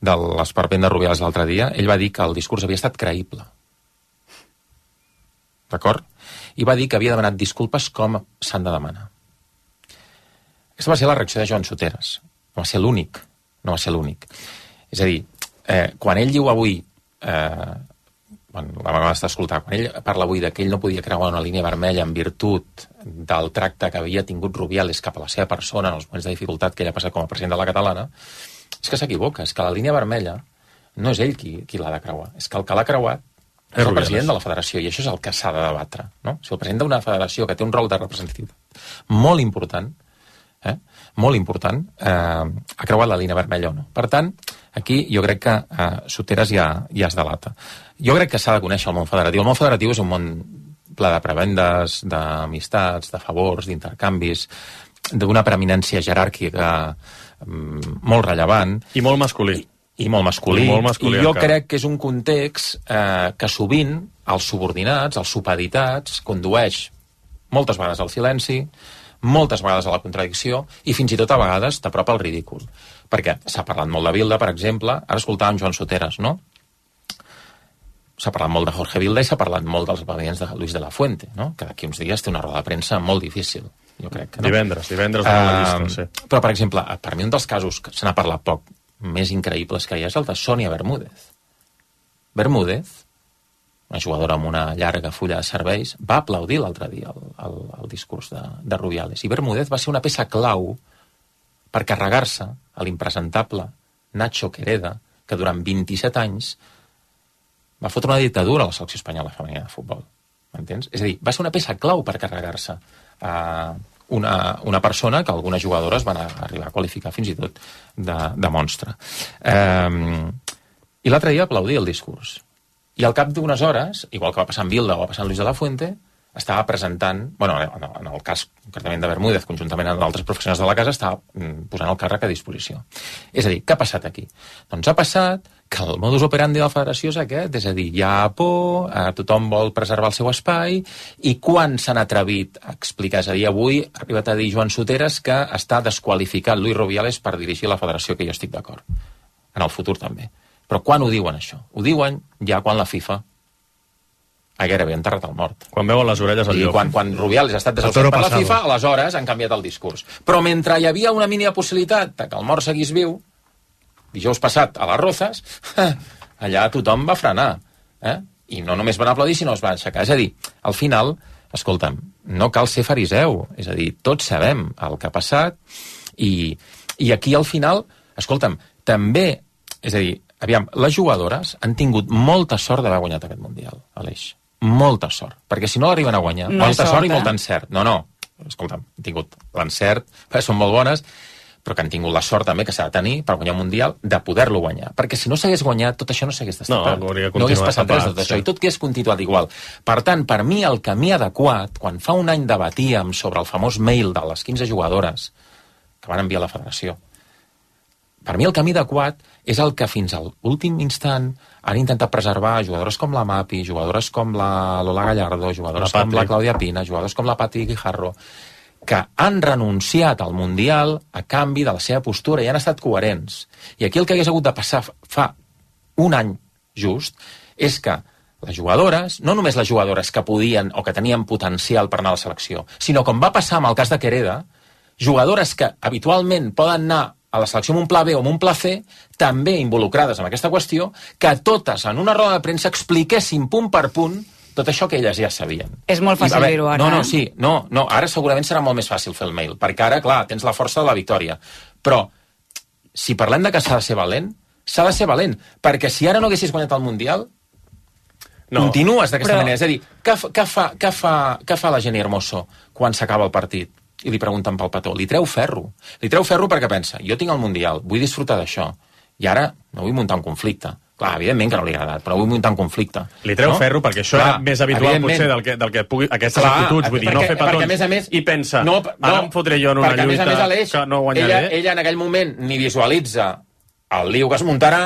de l'esperpent de Rubiales l'altre dia, ell va dir que el discurs havia estat creïble. D'acord? I va dir que havia demanat disculpes com s'han de demanar. Aquesta va ser la reacció de Joan Soteres. No va ser l'únic. No va ser l'únic. És a dir, eh, quan ell diu avui, eh, quan la vegada està escoltant, quan ell parla avui de que ell no podia creuar una línia vermella en virtut del tracte que havia tingut Rubiales cap a la seva persona en els moments de dificultat que ell ha passat com a president de la catalana, és que s'equivoca, és que la línia vermella no és ell qui, qui l'ha de creuar, és que el que l'ha creuat és el president de la federació, i això és el que s'ha de debatre, no? Si el president d'una federació que té un rol de representativitat molt important, eh, molt important, eh, ha creuat la línia vermella o no. Per tant, aquí jo crec que eh, Soteres ja, ja es delata. Jo crec que s'ha de conèixer el món federatiu. El món federatiu és un món ple de prebendes, d'amistats, de favors, d'intercanvis, d'una preeminència jeràrquica mm, molt rellevant. I molt masculí. I, i molt masculí. I, molt masculí I jo encara. crec que és un context eh, que sovint els subordinats, els supeditats, condueix moltes vegades al silenci, moltes vegades a la contradicció i fins i tot a vegades t'apropa al ridícul. Perquè s'ha parlat molt de Bilda, per exemple, ara escoltàvem Joan Soteres, no? S'ha parlat molt de Jorge Vilda i s'ha parlat molt dels esdeveniments de Luis de la Fuente, no? Que d'aquí uns dies té una roda de premsa molt difícil, jo crec. No? Divendres, divendres de la llista, sí. Però, per exemple, per mi un dels casos que se n'ha parlat poc, més increïbles que hi ha, és el de Sònia Bermúdez. Bermúdez, una jugadora amb una llarga fulla de serveis, va aplaudir l'altre dia el, el, el discurs de, de Rubiales. I Bermúdez va ser una peça clau per carregar-se a l'impresentable Nacho Quereda, que durant vint-i-set anys va fotre una dictadura a la selecció espanyola femenina de futbol. M'entens? És a dir, va ser una peça clau per carregar-se a una, una persona que algunes jugadores van arribar a qualificar fins i tot de, de monstre. Eh, I l'altre dia aplaudir el discurs. I al cap d'unes hores, igual que va passar amb Bilda o va passar amb Luis de la Fuente, estava presentant, bueno, en el cas concretament de Bermúdez, conjuntament amb altres professionals de la casa, estava posant el càrrec a disposició. És a dir, què ha passat aquí? Doncs ha passat que el modus operandi de la federació és aquest, és a dir, hi ha por, eh, tothom vol preservar el seu espai, i quan s'han atrevit a explicar, és a dir, avui ha arribat a dir Joan Soteres que està desqualificat Luis Rubiales per dirigir la federació, que jo estic d'acord. En el futur també. Però quan ho diuen, això? Ho diuen ja quan la FIFA ha gairebé enterrat el mort. Quan veuen les orelles al llop. I quan, quan Rubiales ha estat desafiat per la FIFA, aleshores han canviat el discurs. Però mentre hi havia una mínima possibilitat que el mort seguís viu, dijous passat a les Rozas, allà tothom va frenar. Eh? I no només van aplaudir, sinó es van aixecar. És a dir, al final, escolta'm, no cal ser fariseu. És a dir, tots sabem el que ha passat i, i aquí al final, escolta'm, també, és a dir, aviam, les jugadores han tingut molta sort d'haver guanyat aquest Mundial, Aleix. Molta sort. Perquè si no l'arriben a guanyar, no molta sort, sort i eh? molt encert. No, no, escolta'm, han tingut l'encert, són molt bones, però que han tingut la sort també que s'ha de tenir per guanyar un Mundial, de poder-lo guanyar. Perquè si no s'hagués guanyat, tot això no s'hagués destapat. No, no hagués passat res de tot això, i tot hagués continuat igual. Per tant, per mi, el camí adequat, quan fa un any debatíem sobre el famós mail de les quinze jugadores que van enviar a la federació, per mi el camí adequat és el que fins a l'últim instant han intentat preservar jugadores com la Mapi, jugadores com la Lola Gallardo, jugadores la com la Clàudia Pina, jugadors com la Pati Guijarro, que han renunciat al Mundial a canvi de la seva postura i han estat coherents. I aquí el que hagués hagut de passar fa un any just és que les jugadores, no només les jugadores que podien o que tenien potencial per anar a la selecció, sinó com va passar amb el cas de Quereda, jugadores que habitualment poden anar a la selecció amb un pla B o amb un pla C, també involucrades en aquesta qüestió, que totes en una roda de premsa expliquessin punt per punt tot això que elles ja sabien. És molt fàcil dir-ho ara. No, no, sí, no, no, ara segurament serà molt més fàcil fer el mail, perquè ara, clar, tens la força de la victòria. Però, si parlem de que s'ha de ser valent, s'ha de ser valent, perquè si ara no haguessis guanyat el Mundial, no, continues d'aquesta però... manera. És a dir, què fa, què fa, què fa, què fa la Jenny Hermoso quan s'acaba el partit? I li pregunten pel petó, li treu ferro. Li treu ferro perquè pensa, jo tinc el Mundial, vull disfrutar d'això, i ara no vull muntar un conflicte. Clar, evidentment que no li ha agradat, però vull muntar un conflicte. Li treu no? ferro perquè això Clar, era més habitual potser del que, del que pugui, aquestes Clar, actituds, vull dir, perquè, no fer petons, a més a més, i pensa, no, no, ara em fotré jo en una lluita a més a més, Aleix, que no guanyaré. Ella, ella en aquell moment ni visualitza el lío que es muntarà,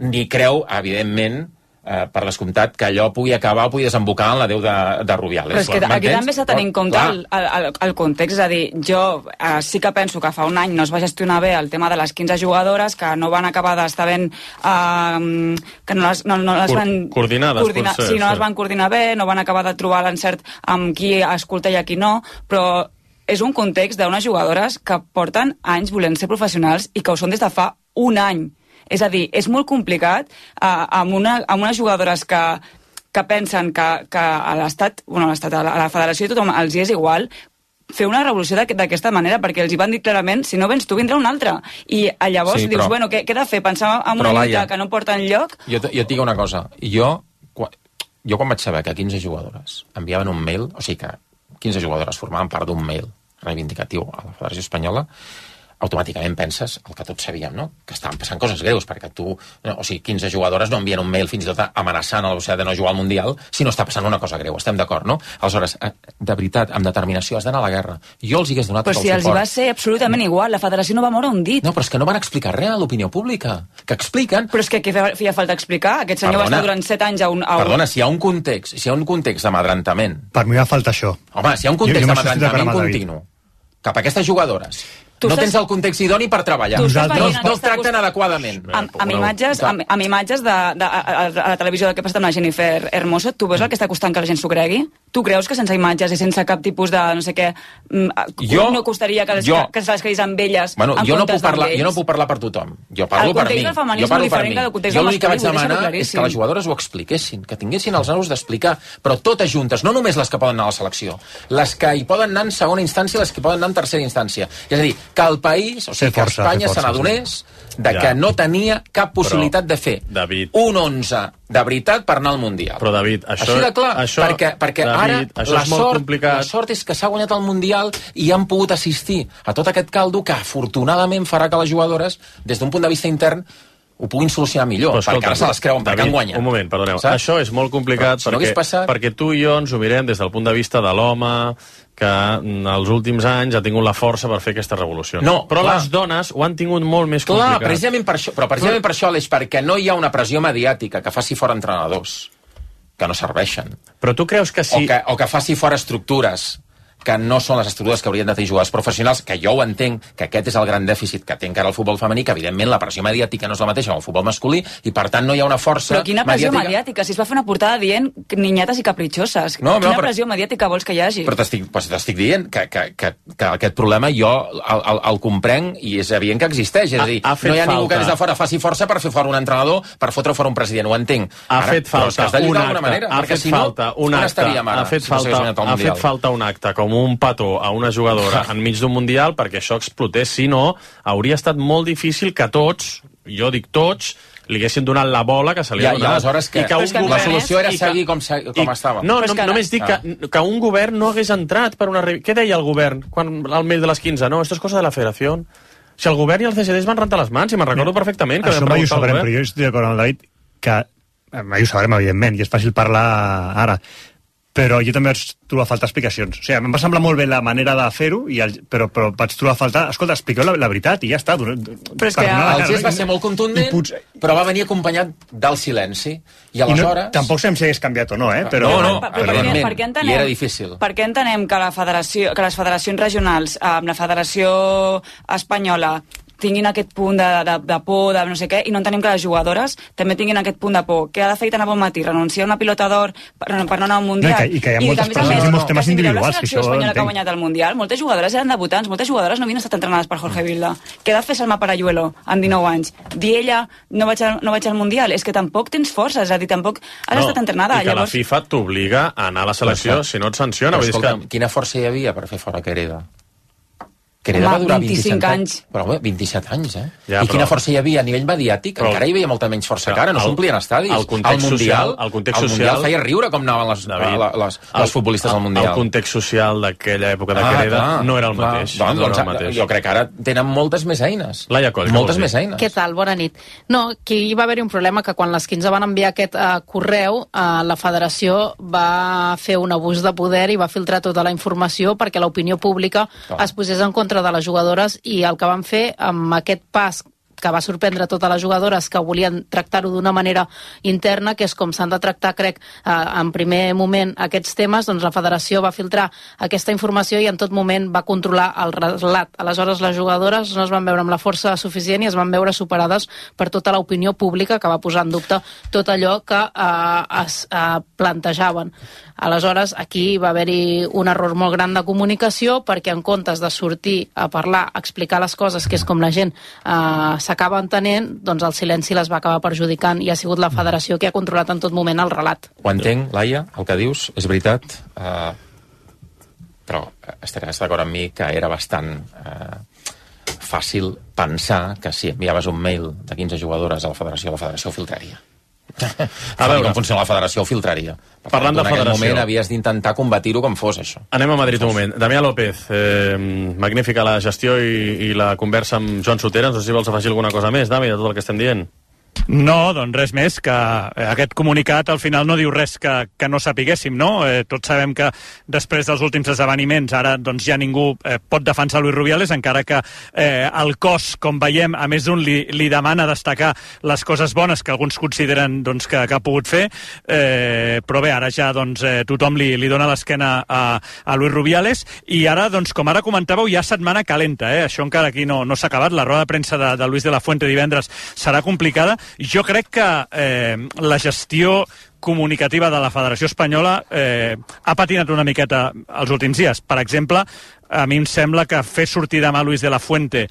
ni creu, evidentment, Eh, per descomptat, que allò pugui acabar o pugui desembocar en la Déu de, de Rubiales. Però és que aquí també s'ha de tenir en compte el, el, el context, és a dir, jo eh, sí que penso que fa un any no es va gestionar bé el tema de les quinze jugadores, que no van acabar d'estar ben... Eh, que no les, no, no les van... Coordinades, coordinar, potser. Sí, no sí. les van coordinar bé, no van acabar de trobar l'encert amb qui escolta i a qui no, però és un context d'unes jugadores que porten anys volent ser professionals i que ho són des de fa un any. És a dir, és molt complicat eh, amb, una, amb unes jugadores que, que pensen que, que a l'Estat, bueno, a l'Estat, a la Federació i tothom els hi és igual, fer una revolució d'aquesta manera, perquè els hi van dir clarament, si no vens tu, vindrà un altre. I llavors sí, dius, però, bueno, què, què he de fer? Pensar en una lluita que no porta enlloc? Jo, jo et dic una cosa. Jo, jo quan vaig saber que quinze jugadores enviaven un mail, o sigui que quinze jugadores formaven part d'un mail reivindicatiu a la Federació Espanyola, automàticament penses el que tots sabíem, no? Que estaven passant coses greus, perquè tu, no, o sigui, quinze jugadores no envien un mail fins i tot amenaçant a la societat de no jugar al Mundial si no està passant una cosa greu, estem d'acord, no? Aleshores, de veritat, amb determinació has d'anar a la guerra. Jo els hi hagués donat tot el suport. Però si els hi va ser absolutament igual, la federació no va moure un dit. No, però és que no van explicar res a l'opinió pública, que expliquen... Però és que què feia falta explicar? Aquest senyor Perdona. va estar durant set anys a un... A un... Perdona, si hi ha un context, si hi ha un context d'amadrantament... Per mi va falta això. Home, si hi ha un context d'amadrantament continu cap a aquestes jugadores... No tens el context idoni per treballar. No, no el tracten adequadament. Amb, amb imatges, amb, amb imatges de, de, a, a la televisió del que ha passat amb la Jennifer Hermoso, tu veus el que està costant que la gent s'ho cregui? Tu creus que sense imatges i sense cap tipus de no sé què jo, no costaria que, les, jo, que se les creguis amb elles bueno, en jo no comptes puc parlar, d'ells? Jo no puc parlar per tothom. Jo parlo per mi. Jo parlo per mi. Jo l'únic que vaig demanar és que les jugadores ho expliquessin, que tinguessin els nervis d'explicar, però totes juntes, no només les que poden anar a la selecció, les que hi poden anar en segona instància i les que poden anar en tercera instància. És a dir, que el país, o sigui, que Espanya se n'adonés de que no tenia cap possibilitat de fer un onze de veritat per anar al Mundial. Però, David, això... Així de clar, això, perquè, perquè David, ara la sort, la sort és que s'ha guanyat el Mundial i han pogut assistir a tot aquest caldo que afortunadament farà que les jugadores, des d'un punt de vista intern, ho puguin solucionar millor, però, escolta, perquè ara se les creuen perquè han guanyat. Un moment, perdoneu. Saps? Això és molt complicat però, perquè, si no passat... perquè tu i jo ens ho mirem des del punt de vista de l'home que en els últims anys ha tingut la força per fer aquesta revolució. No, però clar. les dones ho han tingut molt més clar, complicat. Precisament per això, però precisament per això, Aleix, perquè no hi ha una pressió mediàtica que faci fora entrenadors que no serveixen. Però tu creus que sí... O que, o que faci fora estructures que no són les estructures que haurien de tenir jugadors professionals, que jo ho entenc, que aquest és el gran dèficit que té encara el futbol femení, que evidentment la pressió mediàtica no és la mateixa amb el futbol masculí, i per tant no hi ha una força mediàtica. Però quina pressió mediàtica, mediàtica? Si es va fer una portada dient niñates i capritxoses. No, quina no, però... pressió mediàtica vols que hi hagi? Però t'estic pues, dient que, que, que, que aquest problema jo el, el, el comprenc i és evident que existeix. És a dir, ha, ha no hi ha falta. ningú que des de fora faci força per fer fora un entrenador, per fotre fora un president, ho entenc. Ha Ara, fet falta un acte, manera, ha fet si falta no, un acte, ha fet falta, ha fet falta un acte com un petó a una jugadora enmig d'un Mundial perquè això explotés, si no hauria estat molt difícil que tots, jo dic tots, li haguessin donat la bola que se li ha donat. I aleshores que, que, que la solució era seguir com, com estava. No, no, no només dic que, que un govern no hagués entrat per una... Què deia el govern quan al mail de les quinze? No, esto es cosa de la federació. Si el govern i el C S D es van rentar les mans, i me'n recordo perfectament que això mai ho sabrem, però jo estic d'acord amb el David que mai ho sabrem, evidentment, i és fàcil parlar ara, però jo també vaig trobar a faltar explicacions. O sigui, em va semblar molt bé la manera de fer-ho, però, però vaig trobar a faltar... Escolta, expliqueu la, la veritat i ja està. Però és que el gest va ser molt contundent, potser... però va venir acompanyat del silenci. I aleshores... I no, tampoc sabem si hagués canviat o no, eh? Però, no, no, per, per, per, per què entenem, i era difícil. Per què entenem que, la federació, que les federacions regionals, amb la Federació Espanyola, tinguin aquest punt de, de, de por, de no sé què, i no entenem que les jugadores també tinguin aquest punt de por. Què ha de fer tan a bon matí? Renunciar a una pilota d'or per, per no anar al Mundial? No, i, que, I que hi ha I moltes persones i molts temes individuals. Que això espanyola que ha guanyat el Mundial, moltes jugadores eren debutants, moltes jugadores no havien estat entrenades per Jorge Vilda. Què ha de fer Salma Parayuelo amb dinou anys? Dir ella, no vaig, al, no vaig al Mundial? És que tampoc tens força, és a dir, tampoc has no, estat entrenada. I que llavors... la FIFA t'obliga a anar a la selecció no, si no et sanciona. Però, escolta, que... quina força hi havia per fer fora Quereda? Quereda va durar vint-i-cinc anys. Però home, vint-i-set anys, eh? Ja, I quina però... força hi havia a nivell mediàtic? Però... Encara hi havia molta menys força que ara, no s'omplien estadis. El context Mundial, social... El context el social... Mundial feia riure com anaven les, David, les, les, les futbolistes al Mundial. El context social d'aquella època de Quereda ah, no era el clar, mateix. Doncs, no doncs, era el mateix. Jo crec que ara tenen moltes més eines. Laia Coll, moltes més eines. Què tal? Bona nit. No, que hi va haver un problema que quan les quinze van enviar aquest uh, correu, uh, la federació va fer un abús de poder i va filtrar tota la informació perquè l'opinió pública oh. es posés en contra de les jugadores i el que van fer amb aquest pas que va sorprendre totes les jugadores que volien tractar-ho d'una manera interna, que és com s'han de tractar, crec, eh, en primer moment aquests temes. Doncs la federació va filtrar aquesta informació i en tot moment va controlar el relat. Aleshores les jugadores no es van veure amb la força suficient i es van veure superades per tota l'opinió pública, que va posar en dubte tot allò que eh, es eh, plantejaven. Aleshores, aquí va haver-hi un error molt gran de comunicació, perquè en comptes de sortir a parlar, a explicar les coses, que és com la gent eh, s'acaba entenent, doncs el silenci les va acabar perjudicant i ha sigut la federació que ha controlat en tot moment el relat. Ho entenc, Laia, el que dius, és veritat, eh, però estaràs d'acord amb mi que era bastant eh, fàcil pensar que si enviaves un mail de quinze jugadores a la federació, la federació ho filtraria. A veure com funciona la federació, ho filtraria. Per Parlant tant, de en federació, aquest moment havies d'intentar combatir-ho com fos això. Anem a Madrid un moment. Damià López, eh, magnífica la gestió i, i la conversa amb Joan Sotera. No sé si vols afegir alguna cosa més, Dami, de tot el que estem dient. No, doncs res més, que aquest comunicat al final no diu res que, que no sapiguéssim, no? Eh, tots sabem que després dels últims esdeveniments ara doncs ja ningú eh, pot defensar Luis Rubiales, encara que eh, el cos, com veiem, a més d'un li, li demana destacar les coses bones que alguns consideren doncs, que, que ha pogut fer, eh, però bé, ara ja doncs, eh, tothom li, li dona l'esquena a, a Luis Rubiales, i ara, doncs, com ara comentàveu, hi ha setmana calenta, eh? Això encara aquí no, no s'ha acabat, la roda de premsa de, de Luis de la Fuente divendres serà complicada. Jo crec que eh, la gestió comunicativa de la Federació Espanyola eh, ha patinat una miqueta els últims dies. Per exemple, a mi em sembla que fer sortir demà Luis de la Fuente,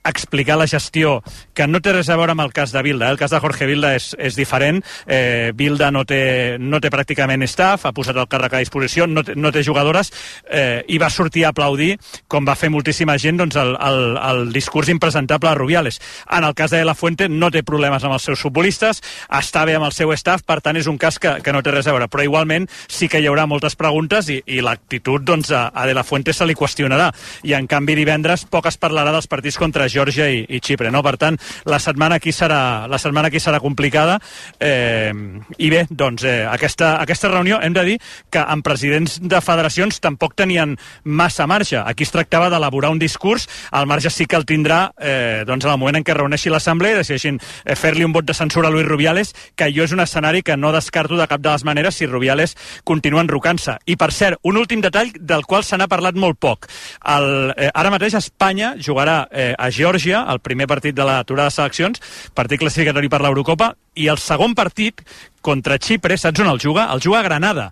explicar la gestió, que no té res a veure amb el cas de Bilda. Eh? El cas de Jorge Bilda és, és diferent. Eh, Bilda no té, no té pràcticament staff, ha posat el càrrec a disposició, no té, no té jugadores, eh, i va sortir a aplaudir, com va fer moltíssima gent, doncs, el, el, el discurs impresentable de Rubiales. En el cas de La Fuente no té problemes amb els seus futbolistes, està bé amb el seu staff, per tant és un cas que, que no té res a veure. Però igualment sí que hi haurà moltes preguntes i, i l'actitud doncs, a, a De La Fuente se li qüestionarà. I en canvi divendres poc es parlarà dels partits contra Geòrgia i, i Xipre, no? Per tant, la setmana aquí serà, la setmana aquí serà complicada, eh, i bé, doncs eh, aquesta, aquesta reunió hem de dir que en presidents de federacions tampoc tenien massa marge. Aquí es tractava d'elaborar un discurs, el marge sí que el tindrà eh, doncs en el moment en què reuneixi l'assemblea i decideixin eh, fer-li un vot de censura a Luis Rubiales, que jo és un escenari que no descarto de cap de les maneres si Rubiales continua enrocant-se. I per cert, un últim detall del qual se n'ha parlat molt poc. El, eh, ara mateix Espanya jugarà eh, a Geòrgia, el primer partit de l'aturada de seleccions, partit classificatori per l'Eurocopa, i el segon partit contra Xipre, saps on el juga? El juga a Granada.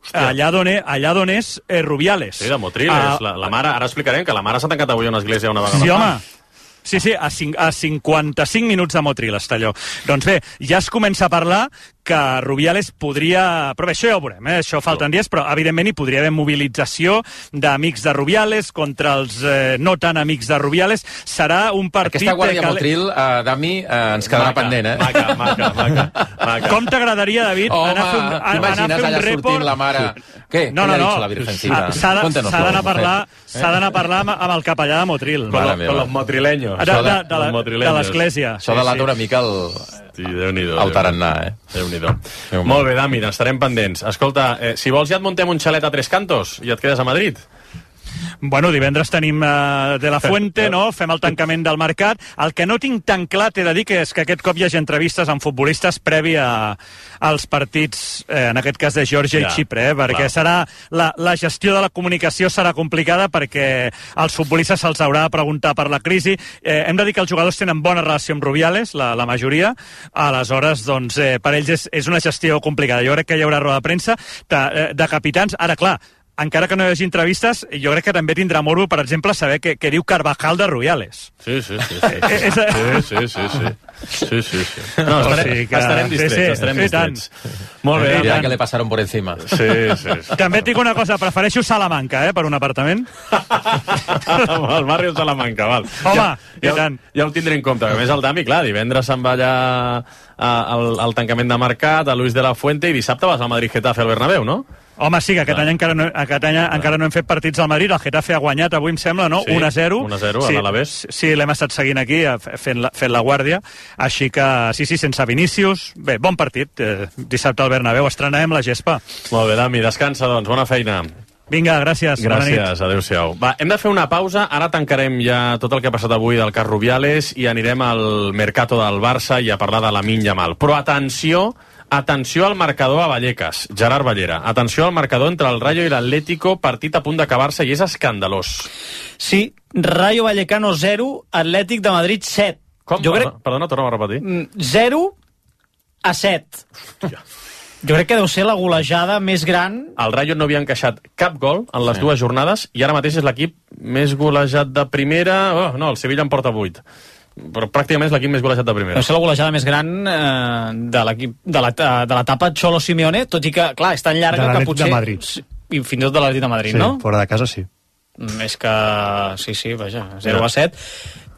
Hòstia. Allà d'on és, allà d'on és eh, Rubiales. Sí, de Motril, uh, la, la mare, ara explicarem que la mare s'ha tancat avui a una església una vegada. Sí, home. Sí, sí, a, cinc, a cinquanta-cinc minuts de Motril està allò. Doncs bé, ja es comença a parlar que Rubiales podria... Però bé, això ja ho veurem, eh? Això falten dies, però evidentment hi podria haver mobilització d'amics de Rubiales contra els eh, no tan amics de Rubiales. Serà un partit... Aquesta guàrdia que... Motril, uh, Dami, uh, ens quedarà maca, pendent, eh? Maca, maca, maca, maca. Com t'agradaria, David, Home, anar a fer un, anar a fer un report... sortint la mare... Què? No, no, no. La Virgencita? S'ha d'anar a parlar, s'ha d'anar a parlar amb, amb el capellà de Motril. Con, lo, con los motrileños. De, de, de, de l'església. Això delata una mica el... Sí, Déu-n'hi-do. El tarannà, eh? Déu-n'hi-do. Molt bé, Dami, estarem pendents. Escolta, eh, si vols ja et muntem un xalet a Tres Cantos i et quedes a Madrid. Bueno, divendres tenim uh, De La Fuente, no? Fem el tancament del mercat. El que no tinc tan clar, t'he de dir, que és que aquest cop hi hagi entrevistes amb futbolistes previ a, als partits, eh, en aquest cas de Geòrgia ja, i Xipre, eh? Perquè clar. serà la, la gestió de la comunicació serà complicada perquè als futbolistes se'ls haurà de preguntar per la crisi. Eh, hem de dir que els jugadors tenen bona relació amb Rubiales, la, la majoria, aleshores, doncs, eh, per ells és, és una gestió complicada. Jo crec que hi haurà roda de premsa de, de capitans. Ara, clar, encara que no hi hagi entrevistes, jo crec que també tindrà morbo, per exemple, saber què, què diu Carvajal de Rubiales. Sí, sí, sí. Sí, sí, sí. sí, sí, sí. Sí, sí, sí. No, estarem, sí, que... estarem distrets, sí, sí, estarem distrets. Molt bé. Ja que le passaron por encima. Sí, sí, sí. També et dic una cosa, prefereixo Salamanca, eh, per un apartament. El barri de Salamanca, val. Home, ja, i ja, tant. Ja ho tindré en compte. A més, el Dami, clar, divendres se'n va allà al, al tancament de mercat, a Luis de la Fuente, i dissabte vas al Madrid-Getafe al Bernabéu, no? Home, sí, que aquest any encara no, aquest any encara no hem fet partits al Madrid. El Getafe ha guanyat avui, em sembla, no? Sí, un a zero. un a zero a sí, l'Alavés. Sí, l'hem estat seguint aquí, fent la, fent la guàrdia. Així que, sí, sí, sense Vinícius. Bé, bon partit. Eh, dissabte al Bernabéu estrenarem la gespa. Molt bé, Dami, descansa, doncs. Bona feina. Vinga, gràcies. Gràcies, adéu-siau. Va, hem de fer una pausa, ara tancarem ja tot el que ha passat avui del cas Rubiales i anirem al Mercato del Barça i a parlar de Lamine Yamal. Però atenció, atenció al marcador a Vallecas, Gerard Ballera. Atenció al marcador entre el Rayo i l'Atlético, partit a punt d'acabar-se i és escandalós. Sí, Rayo Vallecano zero, Atlètic de Madrid set. Com? Jo crec... Perdona, torna a repetir. zero a set. Hòstia. Jo crec que deu ser la golejada més gran. El Rayo no havia encaixat cap gol en les sí. dues jornades i ara mateix és l'equip més golejat de primera... Oh, no, el Sevilla en porta vuit. Però pràcticament és l'equip més golejat de primera. Deu ser la golejada més gran eh, de l'equip de l'etapa Cholo Simeone, tot i que, clar, és tan llarga que potser... De Madrid. I fins i tot de l'Atlètic de Madrid, sí, no? Fora de casa, sí. És que... Sí, sí, vaja, zero a set.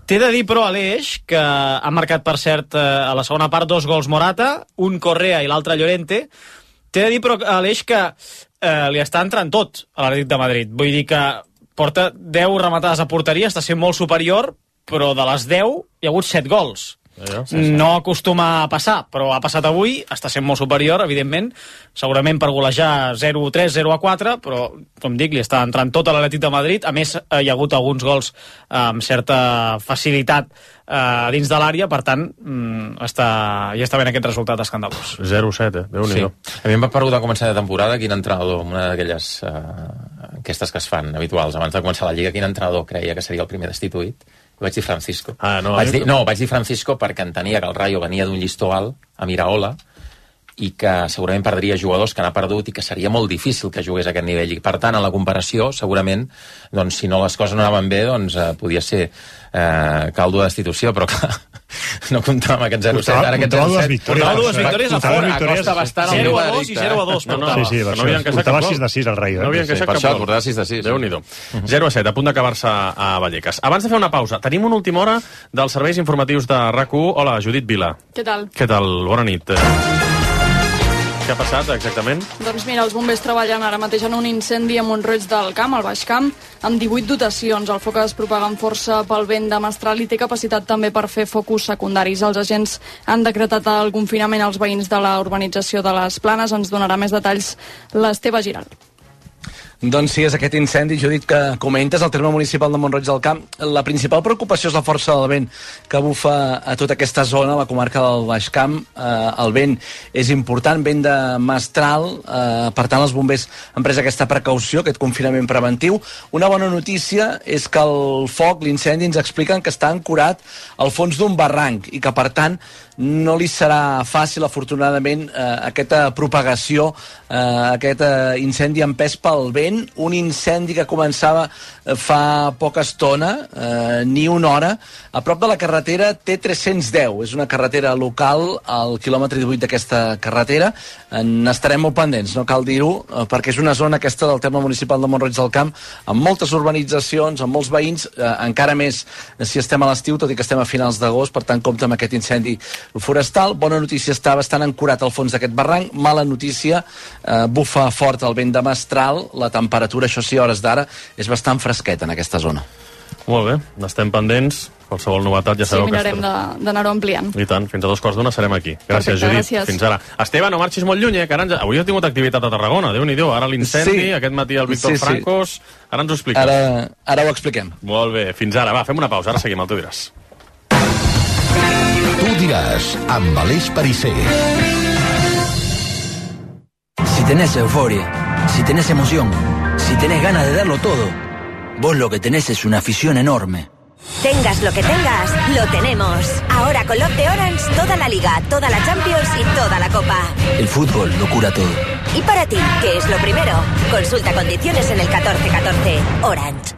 T'he de dir, però, Aleix, que ha marcat, per cert, a la segona part dos gols Morata, un Correa i l'altre Llorente. T'he de dir, però, Aleix, que eh, li està entrant tot a l'Atlètic de Madrid. Vull dir que porta deu rematades a porteria, està sent molt superior, però de les deu hi ha hagut set gols. Sí, sí. No acostuma a passar, però ha passat avui, està sent molt superior, evidentment, segurament per golejar zero a tres, zero a quatre, però, com dic, li està entrant tot a l'Atlètic de Madrid. A més, hi ha hagut alguns gols amb certa facilitat eh, dins de l'àrea, per tant, mm, està, ja està ben aquest resultat escandalós. zero a set, eh? Déu-n'hi-do. Sí. A mi em va preguntar a començar de temporada quin entrenador, una d'aquelles eh, enquestes que es fan habituals abans de començar la Lliga, quin entrenador creia que seria el primer destituït. Vaig dir Francisco. Ah, no, vaig dir, no, vaig dir Francisco perquè entenia que el Rayo venia d'un llistó alt a Miraola i que segurament perdria jugadors que n'ha perdut i que seria molt difícil que jugués a aquest nivell. I, per tant, en la comparació, segurament, doncs, si no les coses no anaven bé, doncs eh, podia ser eh, caldo de destitució, però clar, no comptava amb aquest zero a set. Ara aquest zero a set... Portava dues victòries a fora. Costa bastant el zero a dos i zero a dos. No, no, sí, sí, no havia encaixat portava cap sis de sis al Rayo. No havia encaixat cap gol. Portava sis de sis. Déu-n'hi-do. zero a set, a punt d'acabar-se a Vallecas. Abans de fer una pausa, tenim una última hora dels serveis informatius de RAC u. Hola, Judit Vila. Què tal? Què tal? Bona nit. Què ha passat, exactament? Doncs mira, els bombers treballen ara mateix en un incendi a Montroig del Camp, al Baix Camp, amb divuit dotacions. El foc es propaga amb força pel vent de mestral i té capacitat també per fer focus secundaris. Els agents han decretat el confinament als veïns de la urbanització de les Planes. Ens donarà més detalls l'Esteve Giral. Doncs sí, és aquest incendi, Judit, que comentes, al terme municipal de Montroig del Camp. La principal preocupació és la força del vent que bufa a tota aquesta zona, la comarca del Baix Camp. Eh, el vent és important, vent de mestral, eh, per tant els bombers han pres aquesta precaució, aquest confinament preventiu. Una bona notícia és que el foc, l'incendi, ens expliquen que està ancorat al fons d'un barranc i que, per tant, no li serà fàcil, afortunadament, eh, aquesta propagació, eh, aquest eh, incendi empès pel vent, un incendi que començava eh, fa poca estona, eh, ni una hora, a prop de la carretera T tres-cents deu. És una carretera local, al quilòmetre divuit d'aquesta carretera. N'estarem molt pendents, no cal dir-ho, eh, perquè és una zona aquesta del terme municipal de Montroig del Camp, amb moltes urbanitzacions, amb molts veïns, eh, encara més si estem a l'estiu, tot i que estem a finals d'agost, per tant compta amb aquest incendi forestal. Bona notícia, està bastant ancorat al fons d'aquest barranc. Mala notícia, eh, bufa fort el vent de mestral. La temperatura, això sí, a hores d'ara, és bastant fresqueta en aquesta zona. Molt bé, n'estem pendents. Qualsevol novetat ja Sí, sabeu que... mirarem de- d'anar-ho ampliant. I tant, fins a dos quarts d'una serem aquí. Gràcies, Perfecte, Judit. gràcies. Fins ara. Esteve, no marxis molt lluny, eh? Que ara ens... Avui ha tingut activitat a Tarragona, Déu-n'hi-do. Ara l'incendi, Sí. aquest matí el Víctor Sí, sí. Francos... Ara ens ho expliques. Ara, ara ho expliquem. Molt bé, fins ara. Va, fem una pausa, ara seguim, el tu diràs. Tu diràs, amb Aleix Pariser. Si tenés euforia, si tenés emoción, si tenés ganas de darlo todo, vos lo que tenés es una afición enorme. Tengas lo que tengas, lo tenemos. Ahora con Love de Orange, toda la Liga, toda la Champions y toda la Copa. El fútbol lo cura todo. Y para ti, ¿qué es lo primero? Consulta condiciones en el catorce catorce. Orange.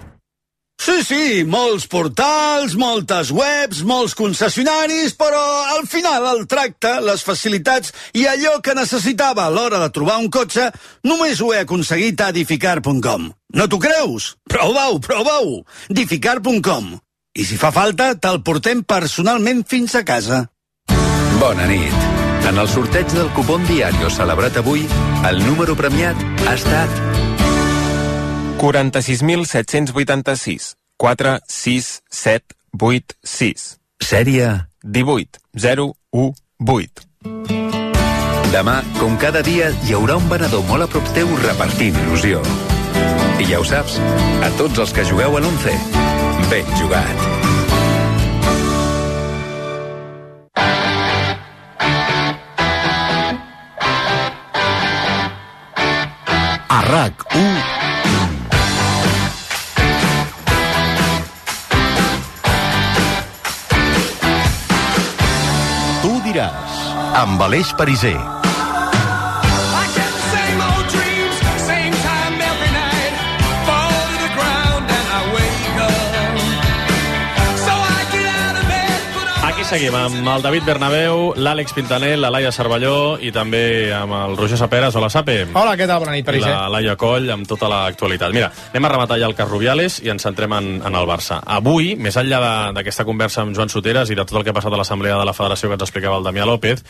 Sí, sí, molts portals, moltes webs, molts concessionaris, però al final el tracte, les facilitats i allò que necessitava a l'hora de trobar un cotxe només ho he aconseguit a edificar punt com. No t'ho creus? Prova-ho, prova-ho! edificar punt com. I si fa falta, te'l portem personalment fins a casa. Bona nit. En el sorteig del cupón diario celebrat avui, el número premiat ha estat quaranta-sis mil set-cents vuitanta-sis, quatre sis set vuit sis. Sèrie divuit zero u vuit. Demà, com cada dia, hi haurà un venedor molt a prop teu repartint il·lusió. I ja ho saps, a tots els que jugueu a l'Once, ben jugat. A RAC u Tu diràs, amb Aleix Pariser. Aquí seguim amb el David Bernabéu, l'Àlex Pintanel, la Laia Cervelló i també amb el Roger Saperas. Hola, Sape. Hola, què tal? Bona nit, Pariser. I la Laia Coll amb tota l'actualitat. Mira, anem a rematar ja el cas Rubiales i ens centrem en, en el Barça. Avui, més enllà d'aquesta conversa amb Joan Soteras i de tot el que ha passat a l'Assemblea de la Federació que ens explicava el Damià López,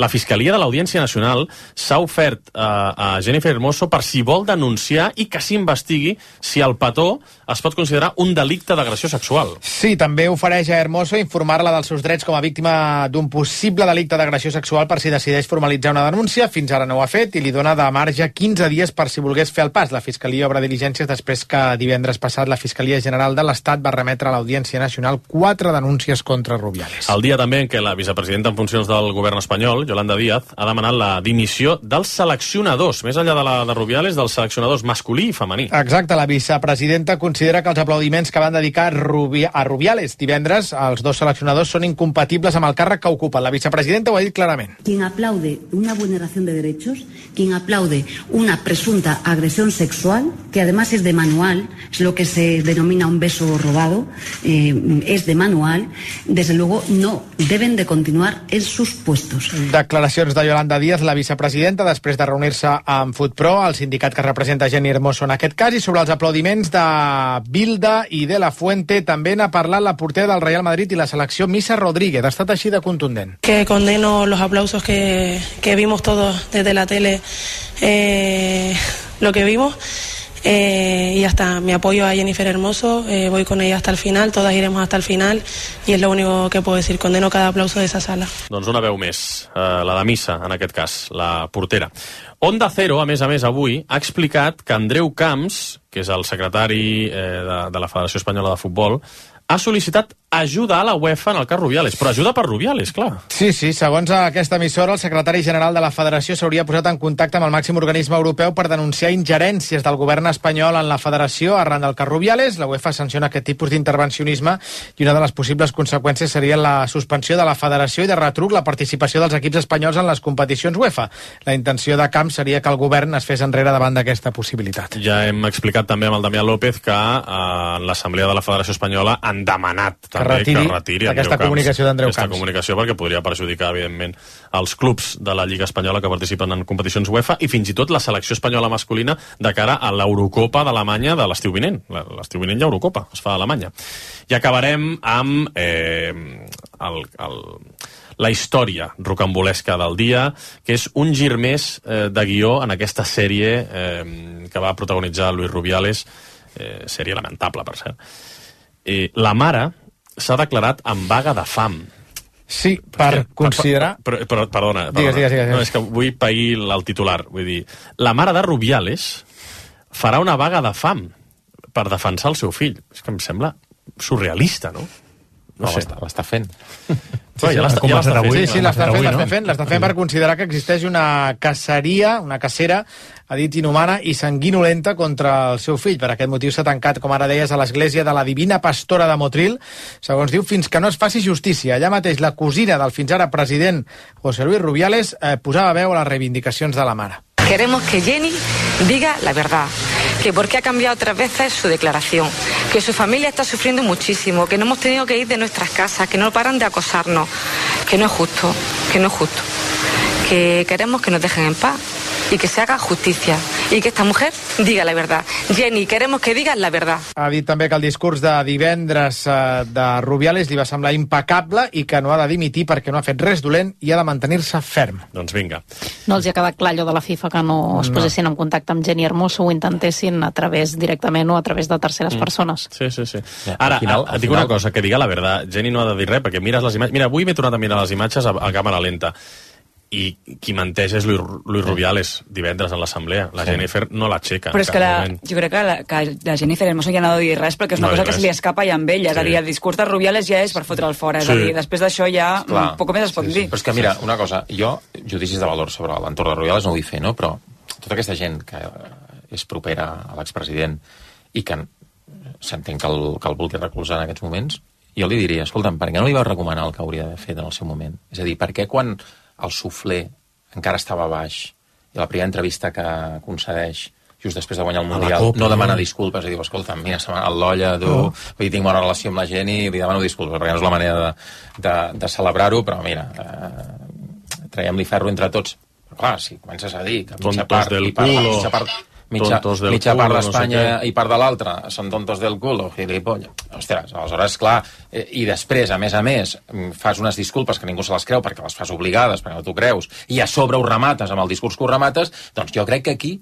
la Fiscalia de l'Audiència Nacional s'ha ofert a, a Jennifer Hermoso per si vol denunciar i que s'investigui si el petó es pot considerar un delicte d'agressió sexual. Sí, també ofereix a Hermoso informar-la dels seus drets com a víctima d'un possible delicte d'agressió sexual per si decideix formalitzar una denúncia. Fins ara no ho ha fet i li dona de marge quinze dies per si volgués fer el pas. La Fiscalia obre diligències després que divendres passat la Fiscalia General de l'Estat va remetre a l'Audiència Nacional quatre denúncies contra Rubiales. El dia també en què la vicepresidenta en funcions del govern espanyol, Yolanda Díaz, ha demanat la dimissió dels seleccionadors, més enllà de la de Rubiales, dels seleccionadors masculí i femení. Exacte, la vicepresidenta considera que els aplaudiments que van dedicar Rubi a Rubiales divendres als dos seleccionadors són incompatibles amb el càrrec que ocupen. La vicepresidenta ho ha dit clarament. Quien aplaude una vulneración de derechos, quien aplaude una presunta agresión sexual, que además es de manual, es lo que se denomina un beso robado, eh, es de manual, desde luego no deben de continuar en sus puestos. Declaracions de Yolanda Díaz, la vicepresidenta, després de reunir-se amb FutPro, el sindicat que representa Jenny Hermoso en aquest cas, i sobre els aplaudiments de Bilda i de la Fuente també n'ha parlat la portera del Real Madrid i la selecció Missa Rodríguez. Ha estat així de contundent. Que condeno los aplausos que, que vimos todos desde la tele, eh, lo que vimos. Eh, y hasta mi apoyo a Jennifer Hermoso, eh, voy con ella hasta el final, todas iremos hasta el final y es lo único que puedo decir, condeno cada aplauso de esa sala. Doncs una veu més, eh, la de Missa, en aquest cas, la portera. Onda Cero, a més a més, avui, ha explicat que Andreu Camps, que és el secretari eh, de, de la Federació Espanyola de Futbol, ha sol·licitat ajuda a la UEFA en el cas Rubiales, però ajuda per Rubiales, clar. Sí, sí, segons aquesta emissora, el secretari general de la Federació s'hauria posat en contacte amb el màxim organisme europeu per denunciar ingerències del govern espanyol en la Federació arran del cas Rubiales. La UEFA sanciona aquest tipus d'intervencionisme i una de les possibles conseqüències seria la suspensió de la Federació i de retruc la participació dels equips espanyols en les competicions UEFA. La intenció de Camps seria que el govern es fes enrere davant d'aquesta possibilitat. Ja hem explicat també amb el Damià López que eh, en l'Assemblea de la Federació Espanyola han demanat també que retiri, que retiri aquesta Camps, comunicació d'Andreu Camps. Aquesta comunicació perquè podria perjudicar, evidentment, els clubs de la Lliga Espanyola que participen en competicions UEFA i fins i tot la selecció espanyola masculina de cara a l'Eurocopa d'Alemanya de l'estiu vinent. L'estiu vinent hi ha Eurocopa, es fa a Alemanya. I acabarem amb eh, el, el, la història rocambolesca del dia, que és un gir més eh, de guió en aquesta sèrie eh, que va protagonitzar Luis Rubiales, eh, sèrie lamentable, per cert. Eh, la mare s'ha declarat en vaga de fam. Sí, per que, considerar... Per, per, per, perdona, perdona. Digues, digues, digues. No, és que vull pair el titular. Vull dir, la mare de Rubiales farà una vaga de fam per defensar el seu fill. És que em sembla surrealista, no? No, no sé. L'està fent. Sí, ja l'està ja fent. Sí, sí, l'està fent, l'està fent, l'està fent per considerar que existeix una caceria, una cacera, ha dit inhumana i sanguinolenta contra el seu fill. Per aquest motiu s'ha tancat, com ara deies, a l'església de la Divina Pastora de Motril, segons diu, fins que no es faci justícia. Allà mateix la cosina del fins ara president José Luis Rubiales eh, posava veu a les reivindicacions de la mare. Queremos que Jenny diga la verdad, que por qué ha cambiado tres veces su declaración, que su familia está sufriendo muchísimo, que no hemos tenido que ir de nuestras casas, que no paran de acosarnos, que no es justo, que no es justo, que queremos que nos dejen en paz y que se haga justicia y que esta mujer diga la verdad. Jenny, queremos que digas la verdad. Ha dit també que el discurs de divendres eh, de Rubiales li va semblar impecable i que no ha de dimitir perquè no ha fet res dolent i ha de mantenir-se ferm. Doncs vinga. No els hi ha quedat clar allò de la FIFA que no es posessin no. en contacte amb Jenny Hermoso o intentessin a través directament o a través de terceres mm. persones. Sí, sí, sí. Ara, al final, al dic final... una cosa, que diga la verdad. Jenny no ha de dir res perquè mires les imatges... Mira, avui m'he tornat a mirar les imatges a, a càmera lenta. i qui menteix és Luis, Luis Rubiales divendres en l'assemblea. La Jennifer no l'aixeca. Però és que la, jo crec que la, que la Jennifer Hermoso ja no ha de dir res perquè és una no cosa que res. se li escapa ja amb ella. Sí. És a dir, el discurs de Rubiales ja és per fotre'l fora. És Sí. a dir, després d'això ja Clar. poc més es pot sí, dir. sí. Però és que mira, una cosa, jo judicis de valor sobre l'entorn de Rubiales no vull fer, no? Però tota aquesta gent que és propera a l'expresident i que s'entén que el, que el vulgui recolzar en aquests moments, jo li diria, escolta'm, per què no li vau recomanar el que hauria d'haver fet en el seu moment? És a dir, per què quan el suflé encara estava baix i la primera entrevista que concedeix just després de guanyar el Mundial Copa, no demana no? disculpes i diu, escolta, mira, se m'ha anat l'olla, tu, oh. vull dir, tinc bona relació amb la gent i li demano disculpes, perquè no és la manera de, de, de celebrar-ho, però mira, eh, traiem-li ferro entre tots. Però clar, si comences a dir que mitja part, del i part, culo. mitja part, mitja, Tontos del mitja culo, part no d'Espanya sé què. i part de l'altra són tontos del culo, gilipolles. Ostres, aleshores, clar, eh, i després, a més a més, fas unes disculpes que ningú se les creu perquè les fas obligades, perquè no t'ho creus, i a sobre ho remates amb el discurs que ho remates, doncs jo crec que aquí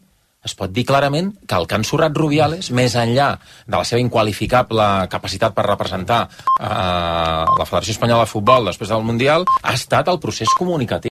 es pot dir clarament que el que han surrat Rubiales, més enllà de la seva inqualificable capacitat per representar eh, la Federació Espanyola de Futbol després del Mundial, ha estat el procés comunicatiu.